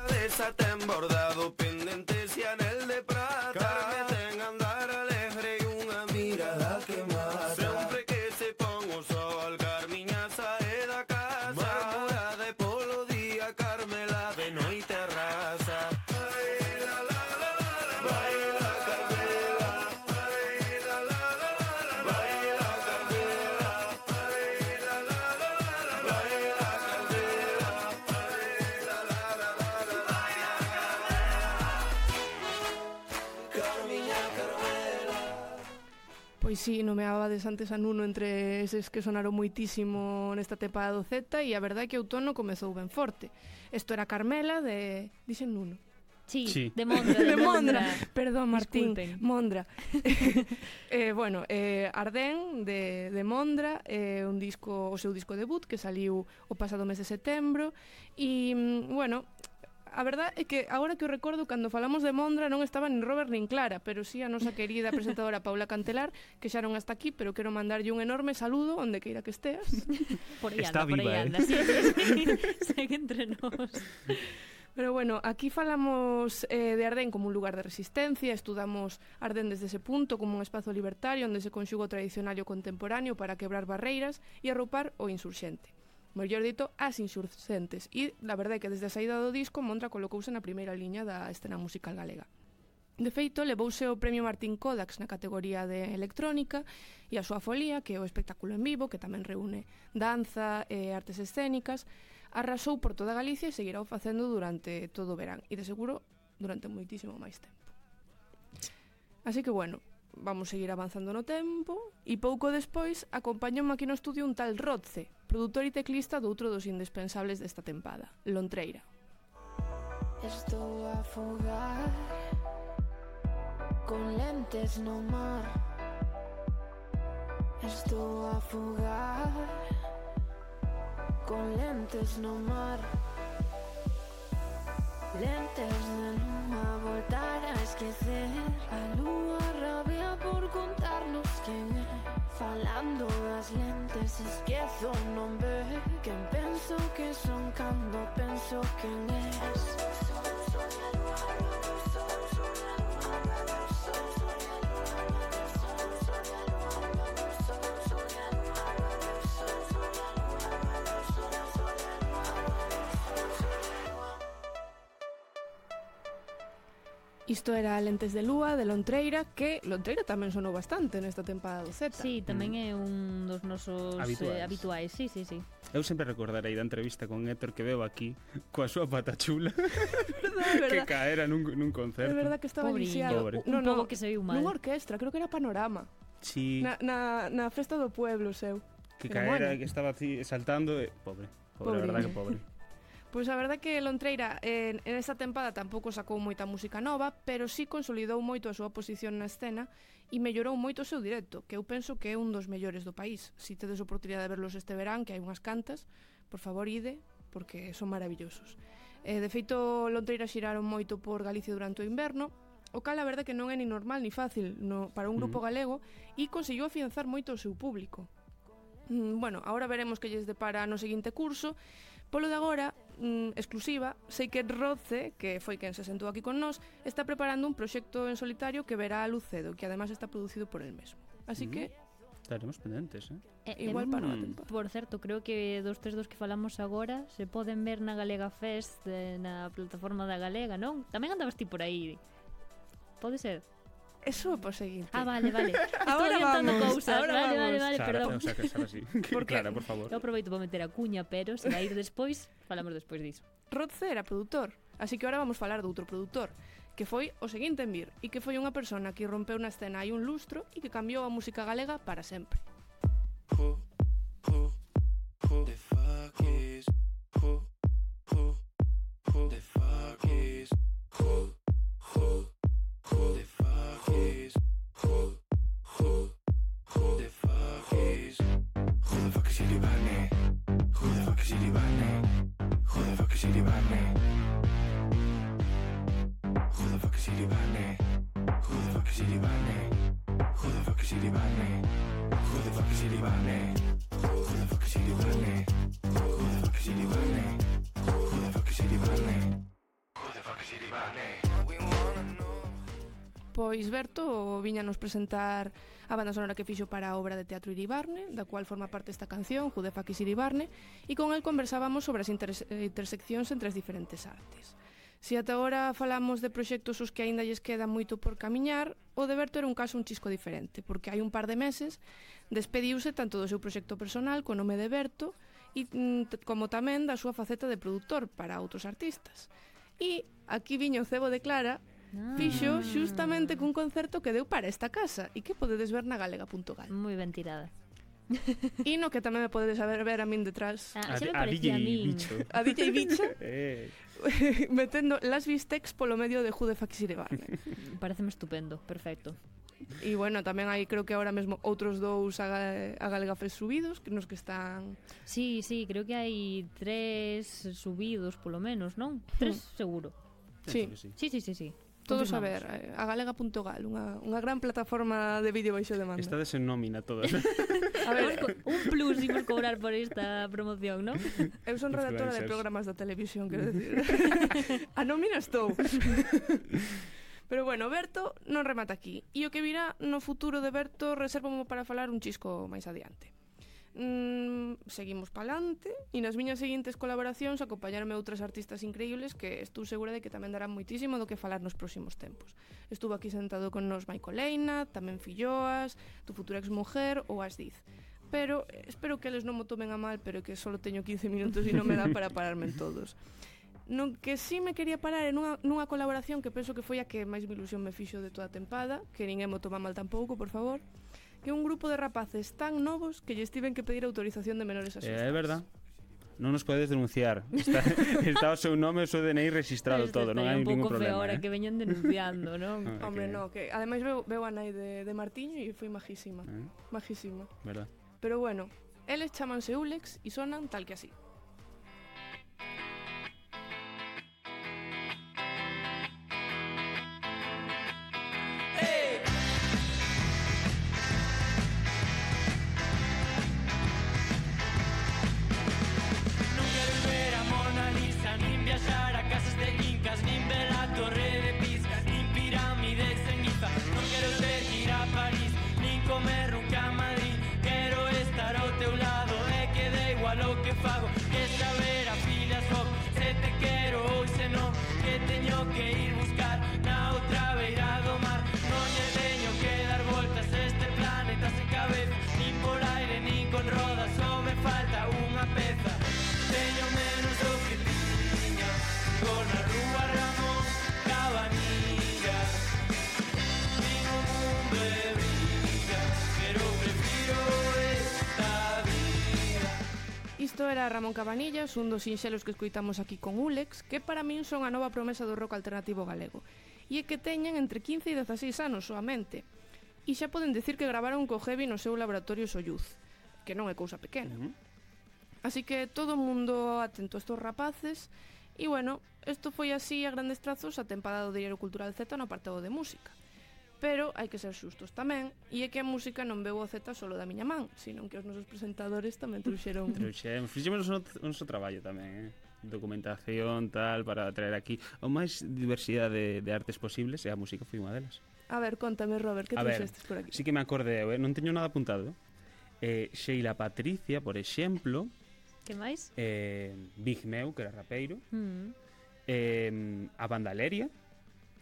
Desate bordado, pendentes y anel de plata, que tengan andar alegre y una mirada que mata. Siempre que se pongo sol, Carmiña sae da casa, Bárbara de polo día, Carmela de noite arrasa. Baila la la la la, baila Carmela, baila la la la la, baila Carmela, baila la la la la, baila Carmela, baila la la la la, baila Carmiña Carmela. Pois sí, nomeabades antes a Nuno entre eses que sonaron moitísimo nesta tempada do Z e a verdade é que o outono comezou ben forte. Isto era Carmela de... Dixen Nuno? Sí, Sí. de Mondra. Perdón, Martín, Disculpen. Mondra. Bueno, Ardén de Mondra, un disco, o seu disco debut que saliu o pasado mes de setembro e, bueno, a verdade é que agora que o recordo, cando falamos de Mondra non estaba nin Robert nin Clara, pero sí a nosa querida presentadora Paula Cantelar, que xa non está aquí, pero quero mandarlle un enorme saludo onde queira que esteas. Por aí Está anda, por aí viva, anda. Sí, segue entre nós. Pero bueno, aquí falamos de Ardén como un lugar de resistencia, estudamos Ardén desde ese punto como un espazo libertario onde se conxuga o tradicional e o contemporáneo para quebrar barreiras e arropar o insurxente. mellor dito, As Insurxentes, e la verdade é que desde a saída do disco Montra colocouse na primeira liña da escena musical galega. De feito, levouse o premio Martín Kodax na categoría de electrónica e a súa folía, que é o espectáculo en vivo, que tamén reúne danza e artes escénicas, arrasou por toda Galicia e seguirá o facendo durante todo o verán e de seguro durante moitísimo máis tempo. Así que, bueno, vamos seguir avanzando no tempo e pouco despois acompañoume aquí no estudio un tal Rodce, produtor e teclista doutro dos indispensables desta tempada, Lontreira. Estou a afogar con lentes no mar. Estou a afogar con lentes no mar. Lentes de luna, voltar a esquecer. A lúa rabia por contarnos quen é. Falando das lentes, esquezo o nome. Quen penso que son cando penso quen és. Isto era Lentes de Lúa, de Lontreira, que Lontreira tamén sonou bastante nesta tempada do Z. Sí, tamén é un dos nosos habituais. Sí. Eu sempre recordarei da entrevista con Héctor que veo aquí coa súa pata chula que caera nun concerto. É verdad que estaba lisiado. Un pouco que se viu mal. Nunha orquestra, creo que era Panorama. Sí. Na festa do pueblo, seu. Que caera, que estaba así saltando e... Pobre, a verdad que pobre. Pois a verdade que Lontreira en esta tempada tampouco sacou moita música nova, pero sí consolidou moito a súa posición na escena e mellorou moito o seu directo, que eu penso que é un dos mellores do país. Si tedes oportunidade de verlos este verán, que hai unhas cantas, por favor ide, porque son maravillosos. De feito, Lontreira xiraron moito por Galicia durante o inverno, o cal a verdade que non é ni normal ni fácil para un grupo galego e conseguiu afianzar moito o seu público. Bueno, agora veremos que lles depara no seguinte curso. Polo de agora, exclusiva, sei que Rodce, que foi quen se sentou aquí con nós, está preparando un proxecto en solitario que verá a luz cedo, que además está producido por el mesmo. Así que... Estaremos pendentes, Igual para unha temporada. Por certo, creo que dos tres dos que falamos agora se poden ver na Galega Fest, na plataforma da Galega, non? Tamén andabas ti por aí. Pode ser? Eso é por seguinte. Vale. Ahora vamos. Vale, perdón. Sara, sí. Clara, por favor. Eu aproveito para meter a cuña, pero se vai ir despois, falamos despois diso. Rodce era produtor, así que ahora vamos falar de outro produtor, que foi o seguinte en vir, e que foi unha persona que rompeu na escena hai un lustro e que cambiou a música galega para sempre. The fuck is the fuck is the fuck is the fuck is who the fuck is Illy Barney? Who the fuck is Illy Barney? Who the fuck is Illy Barney? Who the fuck is Illy Barney? Who the fuck is Illy Barney? Who the fuck is Illy Barney? Who the fuck is Illy Barney? Who the fuck is Illy Barney? Who the fuck is Illy Barney? Who the fuck is Illy Barney? Who the fuck is Illy Barney? We wanna know. Pois Berto viñanos presentar a banda sonora que fixo para a obra de teatro Iribarne, da cual forma parte esta canción, Who the fuck is Iribarne, e con el conversábamos sobre as interseccións entre as diferentes artes. Se ata agora falamos de proxectos os que aínda lles queda moito por camiñar, o de Berto era un caso un chisco diferente, porque hai un par de meses despediuse tanto do seu proxecto personal co nome de Berto e como tamén da súa faceta de produtor para outros artistas. E aquí viña o cebo de Clara, fixo xustamente cun concerto que deu para esta casa e que podedes ver na galega.gal. Moi ben tirada. E no que tamén me podedes ver a min detrás. Xa me parecía a min. A DJ Bicho metendo las bistecs polo medio de Who the fuck is Illy Barney. Pareceme estupendo, perfecto. E bueno, tamén hai creo que agora mesmo outros dous a Galega Fest subidos nos que están... Sí, creo que hai 3 subidos polo menos, non? 3 seguro. Sí. Todos a ver, a galega.gal, unha gran plataforma de vídeo baixo demanda. Estades en nómina todas. A ver, un plus imos cobrar por esta promoción, non? Eu son redactora de programas da televisión, quero decir. A nómina estou. Pero bueno, Berto non remata aquí. E o que virá no futuro de Berto resérvamo para falar un chisco máis adiante. seguimos pa'lante e nas miñas seguintes colaboracións acompañaronme outras artistas increíbles que estou segura de que tamén darán moitísimo do que falar nos próximos tempos. Estuvo aquí sentado con nos Michael Leina, tamén Filloas, tu futura exmujer ou Asdiz. Pero espero que eles non mo tomen a mal, pero que só teño 15 minutos e non me dá para pararme en todos. No que sí me quería parar é nunha colaboración que penso que foi a que máis me ilusión me fixo de toda a tempada, que ninguén mo toma mal tampouco, por favor, que é un grupo de rapaces tan novos que lles tiven que pedir autorización de menores a seus É verdad. Non nos podes denunciar. Está o seu nome e o seu DNI registrado todo, non hai ningún problema. Un pouco feo ahora que veñan denunciando, non? Hombre, no, que ademais veo a nai de Martiño e foi majísima. Majísima. Verdad. Pero bueno, eles chamanse Ulex e sonan tal que así. Isto era Ramón Cabanillas, un dos sinxelos que escoitamos aquí con Ulex, que para min son a nova promesa do rock alternativo galego. E é que teñen entre 15 e 16 anos soamente. E xa poden decir que gravaron co Heavy no seu laboratorio Soyuz, que non é cousa pequena. Así que todo o mundo atento a estos rapaces. E bueno, isto foi así a grandes trazos a tempada do Diario Cultural Z no apartado de música. Pero hai que ser xustos tamén, e é que a música non veu o Z solo da miña man, sino que os nosos presentadores tamén trouxeron... Fixemos o noso traballo tamén, documentación, tal, para traer aquí o máis diversidade de artes posibles, e a música foi unha delas. A ver, contame, Robert, que trouxestes por aquí? Sí que me acordeo, non teño nada apuntado. Sheila Patricia, por exemplo. Que máis? Big Meu, que era rapeiro. A banda Leria.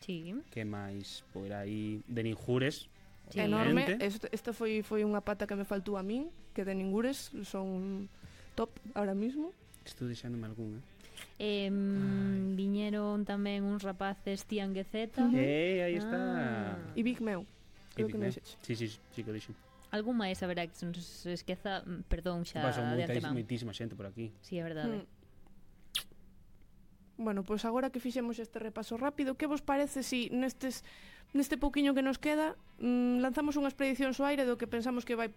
Sí. Que máis por aí de Ninjures, sí. Enorme. Esta foi unha pata que me faltou a min, que de Ninjures son top ahora mismo. Estou deixándome algún, viñeron tamén uns rapaces Tian Guezeta. Aí está. E Big Meu. Creo que non dixeches. Sí, que dixo. Algún máis haberá que se nos esqueza, perdón xa de antemán. Moitísima xente por aquí. Sí, é verdade. Bueno, pois agora que fixemos este repaso rápido, que vos parece si neste pouquiño que nos queda lanzamos unha expedición ao aire do que pensamos que vai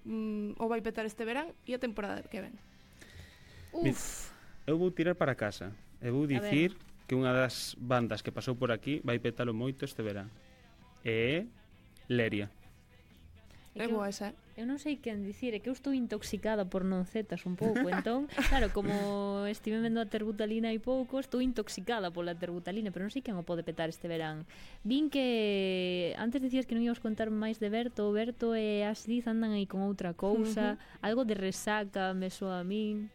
petar este verán e a temporada que ven? Eu vou tirar para casa e vou dicir que unha das bandas que pasou por aquí vai petalo moito este verán é Leria. É boa esa, Eu non sei quen dicir, é que eu estou intoxicada por non zetas un pouco, entón, claro, como estive vendo a terbutalina hai pouco, estou intoxicada pola terbutalina, pero non sei quen o pode petar este verán. Vin que antes dicías que non íamos contar máis de Berto, Berto e Asdiz andan aí con outra cousa, algo de resaca me soa a min.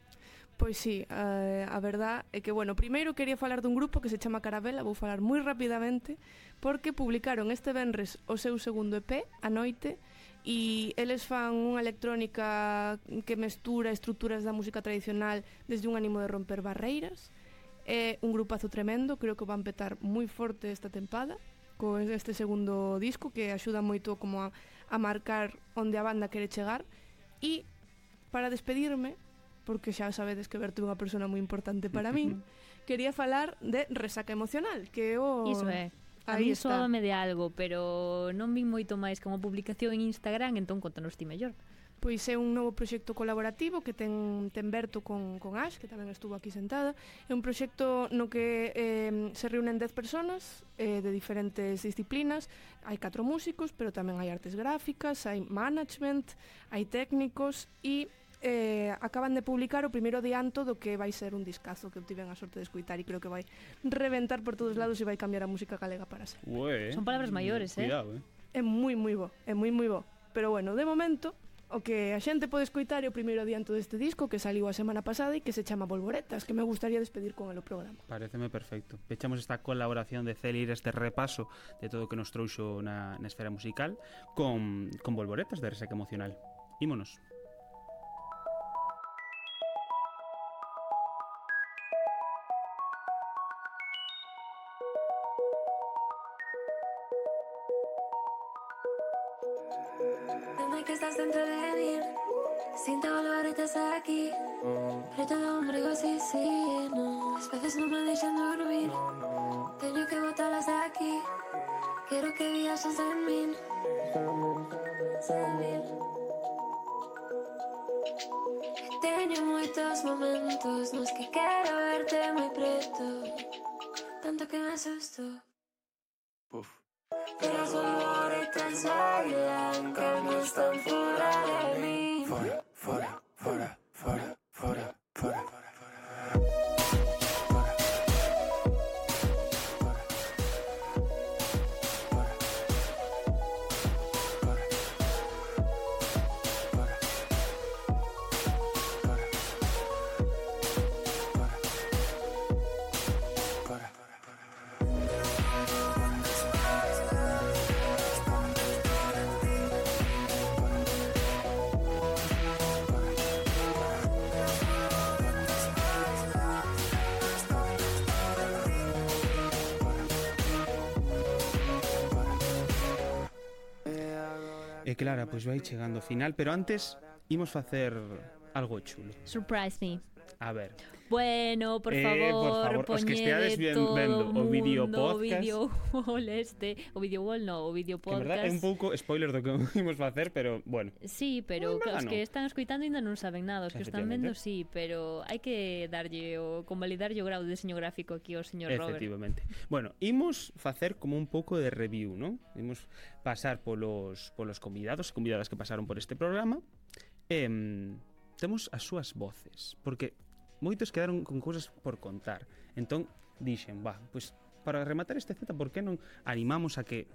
Pois sí, a verdad é que, bueno, primeiro quería falar dun grupo que se chama Carabela, vou falar moi rapidamente, porque publicaron este venres o seu segundo EP, A Noite, e eles fan unha electrónica que mestura estruturas da música tradicional desde un ánimo de romper barreiras. É un grupazo tremendo, creo que van petar moi forte esta tempada con este segundo disco que axuda moito como a marcar onde a banda quere chegar. E para despedirme, porque xa sabedes que Berto é unha persona moi importante para min, quería falar de Resaca Emocional, que o... Iso é. A mí soame de algo, pero non vin moito máis que unha publicación en Instagram, entón contanos ti mellor. Pois é un novo proxecto colaborativo que ten Berto con Ash, que tamén estuvo aquí sentada. É un proxecto no que se reúnen 10 personas de diferentes disciplinas. Hai 4 músicos, pero tamén hai artes gráficas, hai management, hai técnicos e acaban de publicar o primeiro adianto do que vai ser un discazo que obtiven a sorte de escuitar e creo que vai reventar por todos lados e vai cambiar a música galega para sempre. Son palabras maiores, cuidado, É moi bo, é moi bo. Pero bueno, de momento O que a xente pode escoitar é o primeiro adianto deste disco que saliu a semana pasada e que se chama Bolboretas, que me gustaría despedir con el o programa. Pareceme perfecto. Pechamos esta colaboración de Celir, este repaso de todo o que nos trouxo na esfera musical con Bolboretas de Resaca Emocional. Ímonos. Dime que estás dentro de mí, sinto bolboretas aquí, preto do ombrigo, sí, sí, no, as veces non me deixan dormir, teño que botalas de aquí, quero que viaxes en min, teño moitos momentos nos que quero verte moi preto, tanto que me asusto. Pero as bolboretas bailan, que no están fora de mí. Fora, fora, fora, fora, fora, fora, fora. E Clara, pois vai chegando ao final, pero antes imos facer algo chulo. Surprise me. A ver. Bueno, por favor, os que esteades vendo o vídeo podcast. O vídeo wall, no, o vídeo Que en verdad podcast. é un pouco spoiler do que imos facer, pero bueno. Sí, pero os que están escoitando ainda non saben nada, os que están vendo sí, pero hai que darlle o convalidarlle o grau de diseño gráfico aquí ao señor Robert. Efectivamente. Bueno, imos facer como un pouco de review, ¿no? Imos pasar polos convidados e convidadas que pasaron por este programa. Temos as súas voces, porque moitos quedaron con cousas por contar. Entón, dixen, pois para rematar este Z, por que non animamos a que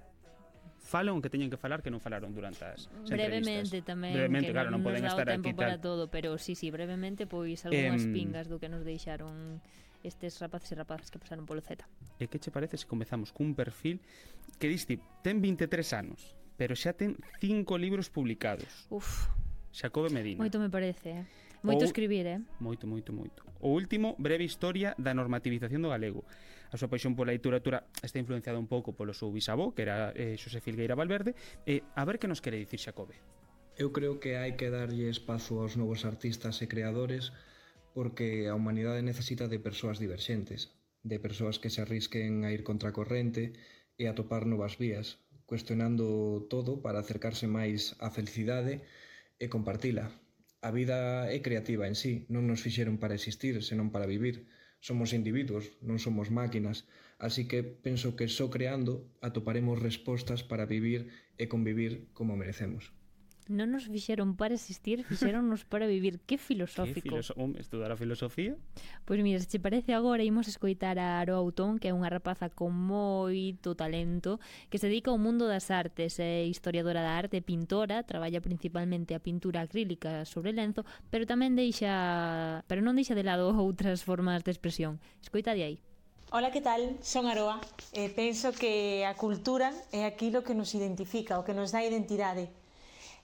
falan o que teñen que falar que non falaron durante as brevemente entrevistas? Tamén, brevemente, que claro, non poden estar tempo aquí para tal. todo, pero sí, brevemente, pois algunhas pingas do que nos deixaron estes rapaces e rapazas que pasaron polo Z. E que che parece se comezamos cun perfil que diste, ten 23 anos, pero xa ten 5 libros publicados. Xacobe Medina. Moito me parece, Moito escribir, Moito. O último, breve historia da normativización do galego. A súa paixón pola literatura está influenciada un pouco polo seu bisavó, que era Xosé Filgueira Valverde. A ver que nos quere dicir Xacobe. Eu creo que hai que darlle espazo aos novos artistas e creadores porque a humanidade necesita de persoas diverxentes, de persoas que se arrisquen a ir contra a corrente e a topar novas vías, cuestionando todo para acercarse máis á felicidade e compartila. A vida é creativa en sí, non nos fixeron para existir, senón para vivir. Somos individuos, non somos máquinas, así que penso que só creando atoparemos respostas para vivir e convivir como merecemos. Non nos fixeron para existir, fixeronnos para vivir. Que filosófico. Estudar a filosofía? Pois mira, se che parece agora imos escoitar a Aroa Outón, que é unha rapaza con moito talento, que se dedica ao mundo das artes, é historiadora da arte, pintora, traballa principalmente a pintura acrílica sobre lenzo, pero non deixa de lado outras formas de expresión. Escoita de aí. Ola, que tal? Son Aroa. Penso que a cultura é aquilo que nos identifica, o que nos dá identidade.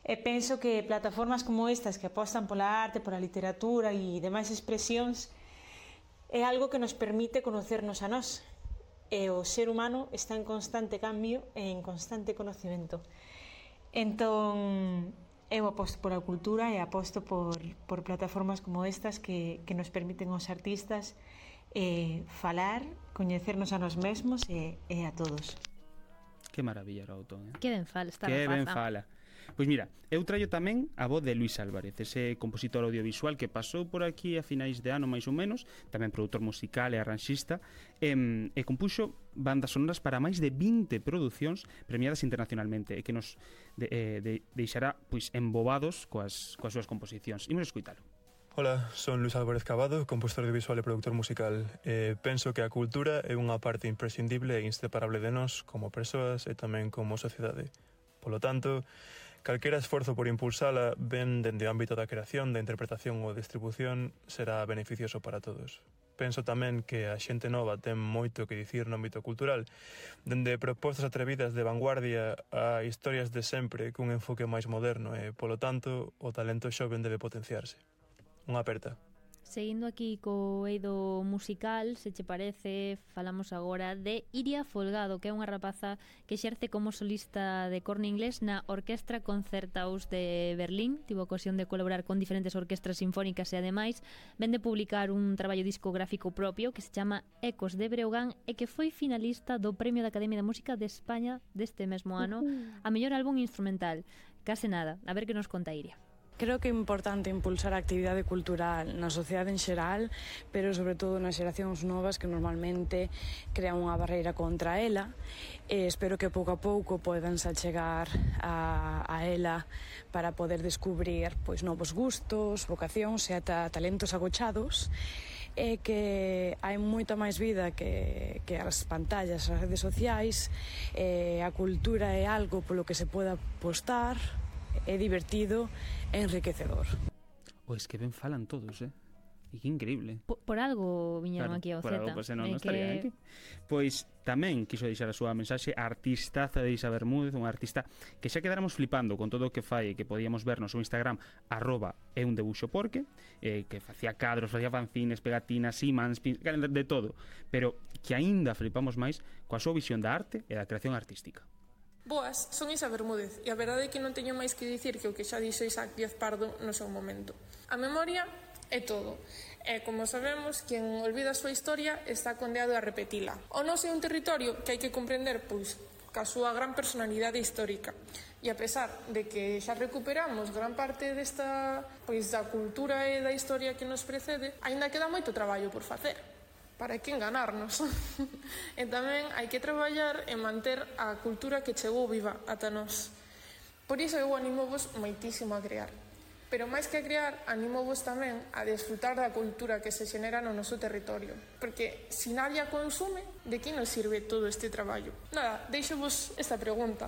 E penso que plataformas como estas que apostan pola arte, pola literatura e demais expresións é algo que nos permite conocernos a nós. E o ser humano está en constante cambio e en constante conocimento. Entón, eu aposto pola cultura e aposto por plataformas como estas que nos permiten aos artistas falar, coñecernos a nós mesmos e a todos. Que maravilla, Rautón, Que ben fala esta rapaza. Que ben rapaza. fala. Pois mira, eu traio tamén a voz de Luís Álvarez, ese compositor audiovisual que pasou por aquí a finais de ano máis ou menos, tamén produtor musical e arranxista, e compuxo bandas sonoras para máis de 20 producións premiadas internacionalmente e que nos deixará pois embobados coas súas composicións. Imos escoitalo. Hola, son Luís Álvarez Cabado, compositor audiovisual e productor musical. Penso que a cultura é unha parte imprescindible e inseparable de nós como persoas e tamén como sociedade. Polo tanto, Calquera esforzo por impulsala, ben dende o ámbito da creación, da interpretación ou distribución, será beneficioso para todos. Penso tamén que a xente nova ten moito que dicir no ámbito cultural, dende propostas atrevidas de vanguardia a historias de sempre cun enfoque máis moderno e, polo tanto, o talento xoven debe potenciarse. Unha aperta. Seguindo aquí co eido musical, se che parece, falamos agora de Iria Folgado, que é unha rapaza que exerce como solista de corno inglés na Orquestra Concerthaus de Berlín. Tivo ocasión de colaborar con diferentes orquestras sinfónicas e ademais ven de publicar un traballo discográfico propio que se chama Ecos de Breogán e que foi finalista do Premio da Academia de Música de España deste mesmo ano a mellor álbum instrumental. Case nada, a ver que nos conta Iria. Creo que é importante impulsar a actividade cultural na sociedade en xeral, pero sobre todo nas xeracións novas que normalmente crean unha barreira contra ela. Espero que pouco a pouco podanse achegar a ela para poder descubrir pois novos gustos, vocacións e ata talentos agochados, e que hai moita máis vida que as pantallas, as redes sociais. A cultura é algo polo que se poda apostar, é divertido e enriquecedor. Pois que ben falan todos, E que increíble. Por algo viñeron aquí ao por Z. Algo, pois non estaría aquí. Pois tamén quiso deixar a súa mensaxe a artistaza de Isa Bermúdez, unha artista que xa quedáramos flipando con todo o que fai e que podíamos ver no seu Instagram @eundebuxoporque, que facía cadros, facía fanzines, pegatinas, imans, de todo, pero que aínda flipamos máis coa súa visión da arte e da creación artística. Boas, son Isa Bermúdez e a verdade é que non teño máis que dicir que o que xa dixo Isaac Díaz Pardo no seu momento. A memoria é todo. E, como sabemos, quen olvida a súa historia está condeado a repetila. O noso é un territorio que hai que comprender, pois, ca súa gran personalidade histórica. E a pesar de que xa recuperamos gran parte desta, pois, da cultura e da historia que nos precede, aínda queda moito traballo por facer. Para que enganarnos. E tamén hai que traballar e manter a cultura que chegou viva ata nós. Por iso eu animovos moitísimo a crear. Pero máis que a crear, animovos tamén a desfrutar da cultura que se xenera no noso territorio. Porque se nadie a consume, de que nos sirve todo este traballo? Nada, deixo-vos esta pregunta.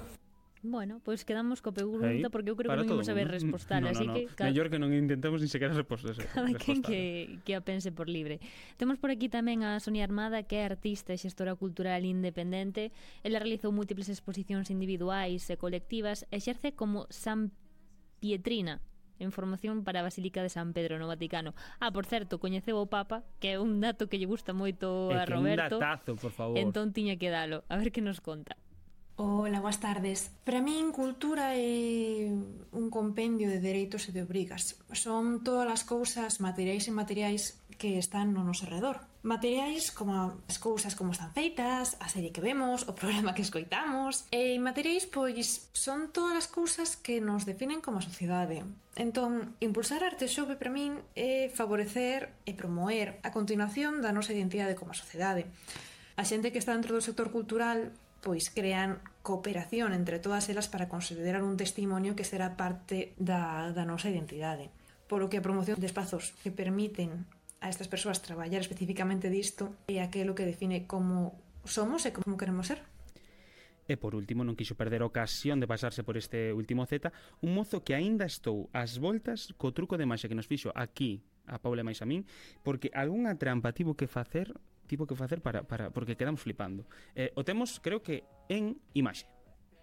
Bueno, pois quedamos co pregunta porque eu creo que non imos saber respostar, así que mellor que non intentamos ni sequera respostas. Cada quen que a pense por libre. Temos por aquí tamén a Sonia Armada, que é artista e xestora cultural independente. Ela realizou múltiples exposicións individuais e colectivas e exerce como San Pietrina en formación para a Basílica de San Pedro no Vaticano. Por certo, coñeceu o Papa, que é un dato que lle gusta moito a Roberto. Un datazo, por favor. Entón tiña que dalo. A ver que nos conta. Hola, boas tardes. Para min, cultura é un compendio de dereitos e de obrigas. Son todas as cousas materiais e inmateriais que están no noso redor. Materiais como as cousas como están feitas, a serie que vemos, o programa que escoitamos. E inmateriais, pois, son todas as cousas que nos definen como sociedade. Entón, impulsar a arte xove para min é favorecer e promoer a continuación da nosa identidade como sociedade. A xente que está dentro do sector cultural pois crean cooperación entre todas elas para considerar un testimonio que será parte da nosa identidade. Polo que a promoción de espazos que permiten a estas persoas traballar especificamente disto é aquilo que define como somos e como queremos ser. E por último, non quixo perder a ocasión de pasarse por este último Z, un mozo que aínda estou ás voltas co truco de maxia que nos fixo aquí a Paula e máis a min, porque algunha trampa tivo que facer para porque quedamos flipando. O temos, creo que, en imaxe.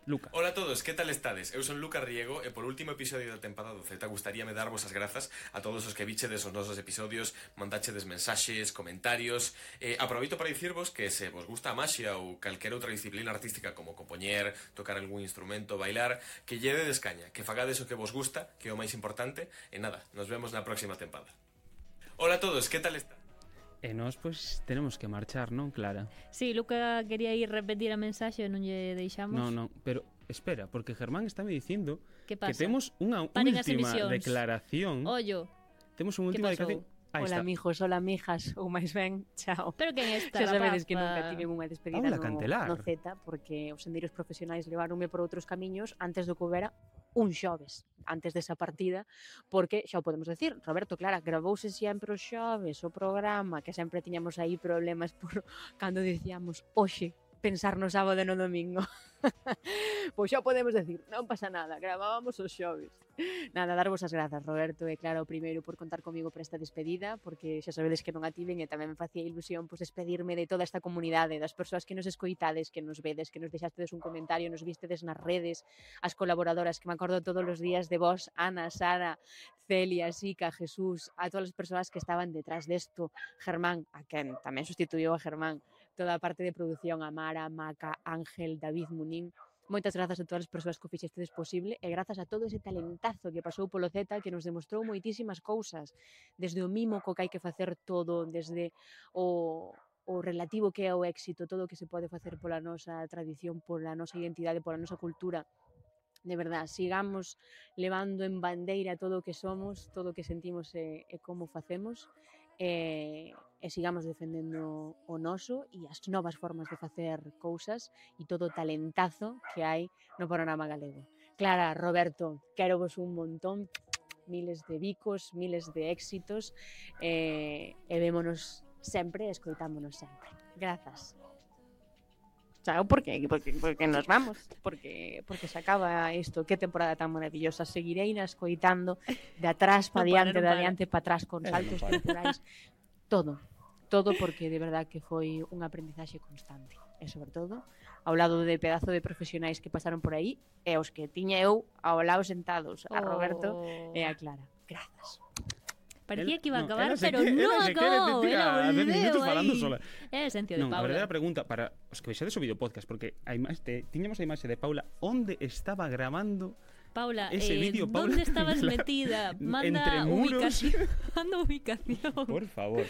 Luca. Hola a todos, que tal estades? Eu son Luca Riego e por último episodio da tempada do Z gustaríame darvos as grazas a todos os que bichedes os nosos episodios, mandachedes mensaxes, comentarios. Aproveito para dicirvos que se vos gusta a maxia ou calquera outra disciplina artística como compoñer, tocar algún instrumento, bailar, que llevedes caña, que fagades o que vos gusta, que é o máis importante, e nada, nos vemos na próxima tempada. Hola a todos, que tal estades? E nós, pois, tenemos que marchar, non, Clara? Sí, Luca quería ir repetir a mensaxe e non lle deixamos. Non, pero espera, porque Germán está me dicindo que temos unha última declaración. Ollo. Temos unha última declaración. Hola, mijos, hola, mijas, ou máis ben, chao. Pero quen está? Xa sabedes que nunca tiven unha despedida no Z, porque os sendeiros profesionais levaronme por outros camiños antes do que houbera un xoves, antes desa partida, porque, xa o podemos decir, Roberto, Clara, gravouse sempre os xoves, o programa, que sempre tiñamos aí problemas por cando dicíamos hoxe, pensar no sábado e no domingo. Pois xa podemos decir, non pasa nada, gravábamos os xoves. Nada, darvos as grazas, Roberto, e claro, primeiro por contar comigo para esta despedida, porque xa sabedes que non a tiven e tamén me facía ilusión pois despedirme de toda esta comunidade, das persoas que nos escoitades, que nos vedes, que nos deixastedes un comentario, nos vistedes nas redes, as colaboradoras que me acordo todos os días de vos, Ana, Sara, Celia, Sica, Jesús, a todas as persoas que estaban detrás desto, Germán, a quen tamén sustituiu a Germán, toda a parte de produción, a Mara, Maca, Ángel, David Munín. Moitas grazas a todas as persoas que o fixestedes posible e grazas a todo ese talentazo que pasou polo Z, que nos demostrou moitísimas cousas, desde o mimo co que hai que facer todo, desde o relativo que é o éxito, todo o que se pode facer pola nosa tradición, pola nosa identidade, pola nosa cultura. De verdad, sigamos levando en bandeira todo o que somos, todo o que sentimos e como facemos, e sigamos defendendo o noso e as novas formas de facer cousas e todo o talentazo que hai no panorama galego. Clara, Roberto, quero vos un montón, miles de bicos, miles de éxitos, e vémonos sempre, escoitámonos sempre. Grazas. Chao, porque nos vamos, porque se acaba isto, que temporada tan maravillosa. Seguirei na escoitando de atrás para diante, de adiante para atrás, con saltos temporais, todo porque de verdad que foi un aprendizaxe constante, e sobre todo ao lado de pedazo de profesionais que pasaron por aí e os que tiña eu ao lado sentados, a Roberto e a Clara. Grazas. Parecía que iba a acabar, pero non acabou. Era a 10 minutos aí. falando sola. É a esencia de Non, Paula. a verdadera pregunta para os que vexades o videopodcast, porque tiñamos a imaxe de Paula, onde estaba gravando Paula, ese vídeo, Paula? ¿dónde estabas metida? Manda ubicación. Manda ubicación. Por favor.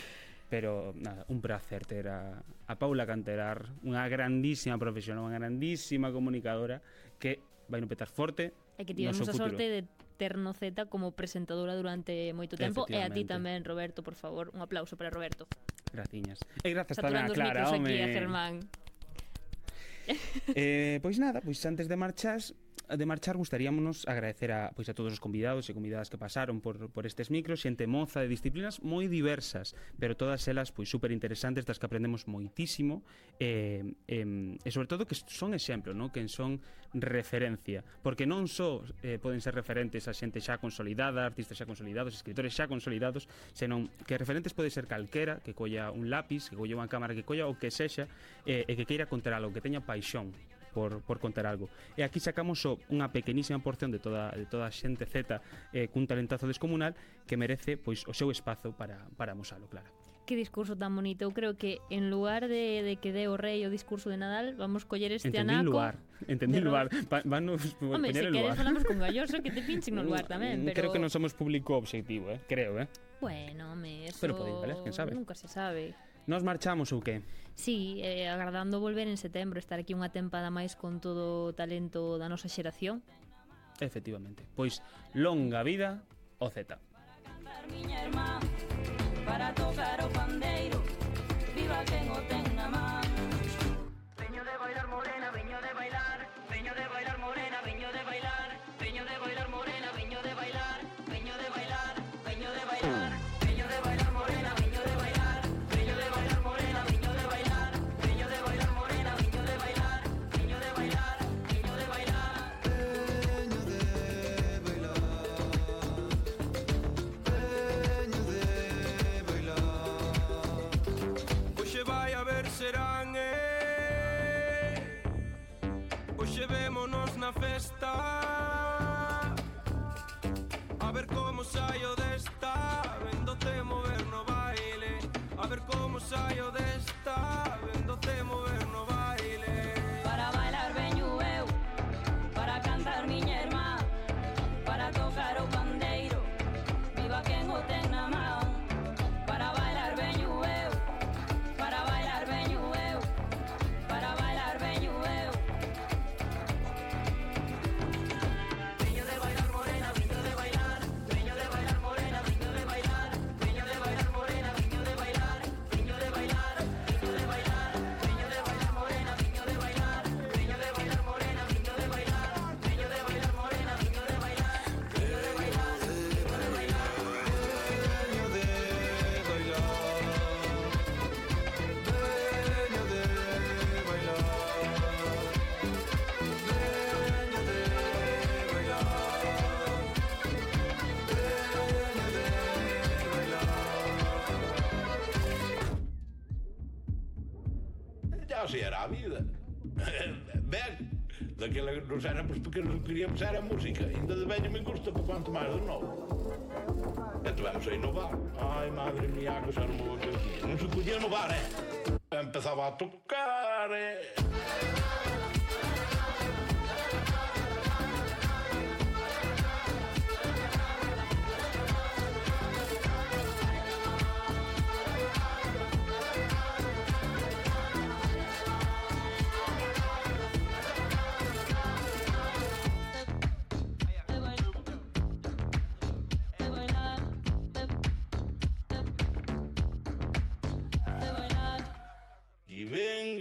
Pero, nada, un placer ter a Paula Canterar, unha grandísima profesional, unha grandísima comunicadora que vai no petar forte. E que tivemos a sorte de ter no Z como presentadora durante moito tempo, e a ti tamén, Roberto, por favor, un aplauso para Roberto. Graciñas. E grazas tamén a Clara, home. Aquí a Germán. Pois nada, pois antes de marchar gustaríamonos agradecer a todos os convidados e convidadas que pasaron por estes micros, xente moza de disciplinas moi diversas, pero todas elas pois super interesantes, das que aprendemos moitísimo, e sobre todo que son exemplo, ¿no? Que son referencia, porque non só poden ser referentes a xente xa consolidada, artistas xa consolidados, escritores xa consolidados, senón que referentes pode ser calquera que colla un lápiz, que colla unha cámara, que colla o que sexa, e que queira contar algo, que teña paixón por contar algo. E aquí sacamos unha pequenísima porción de toda a xente Z cun talentazo descomunal que merece pois o seu espazo para amosalo, Clara. Que discurso tan bonito. Eu creo que en lugar de que dé o rei o discurso de Nadal, vamos coller este anaco. Entendí lugar. Vanos Home, poñer se el queres lugar. falamos con Galloso, que te pinchen no lugar tamén, pero... Creo que non somos público objetivo, creo, Bueno, eso... Pero podéis, ¿vale? Quen sabe? Nunca se sabe. Nos marchamos ou que? Sí, agardando volver en setembro, estar aquí unha tempada máis con todo o talento da nosa xeración. Efectivamente. Pois, longa vida o Z. Miña irmá, para tocar o pandeiro, viva quen o ten na man. Veño de bailar morena, veño de bailar, veño de bailar morena, veño de bailar, veño de bailar morena, veño de bailar, veño de bailar, veño de bailar, veño de bailar morena, veño de bailar, veño de bailar morena, veño de bailar, veño de bailar morena, veño de bailar, veño de bailar, veño de bailar, veño de bailar. Hoxe vai a ver serán, hoxe vémonos na festa, a ver como saio desta, véndote mover no baile, a ver como saio desta, véndote mover no baile. Para bailar veño eu, para cantar miña irmá, para tocar o pandeiro, viva quen o ten na man. Para bailar veño eu, para bailar veño eu, para bailar veño eu. Veño de bailar morena, veño de bailar, veño de bailar morena, veño de bailar, veño de bailar morena, veño de bailar, veño de bailar, veño de bailar, veño de bailar morena. así era a vida. Ben, daquela que nos éramos pequenos que queríamos era a música. Ainda de velho me gusta, por quanto máis de novo. E tivemos a inovar. Ai, madre mía, que xa non vou a non se podía inovar, Empezaba a tocar,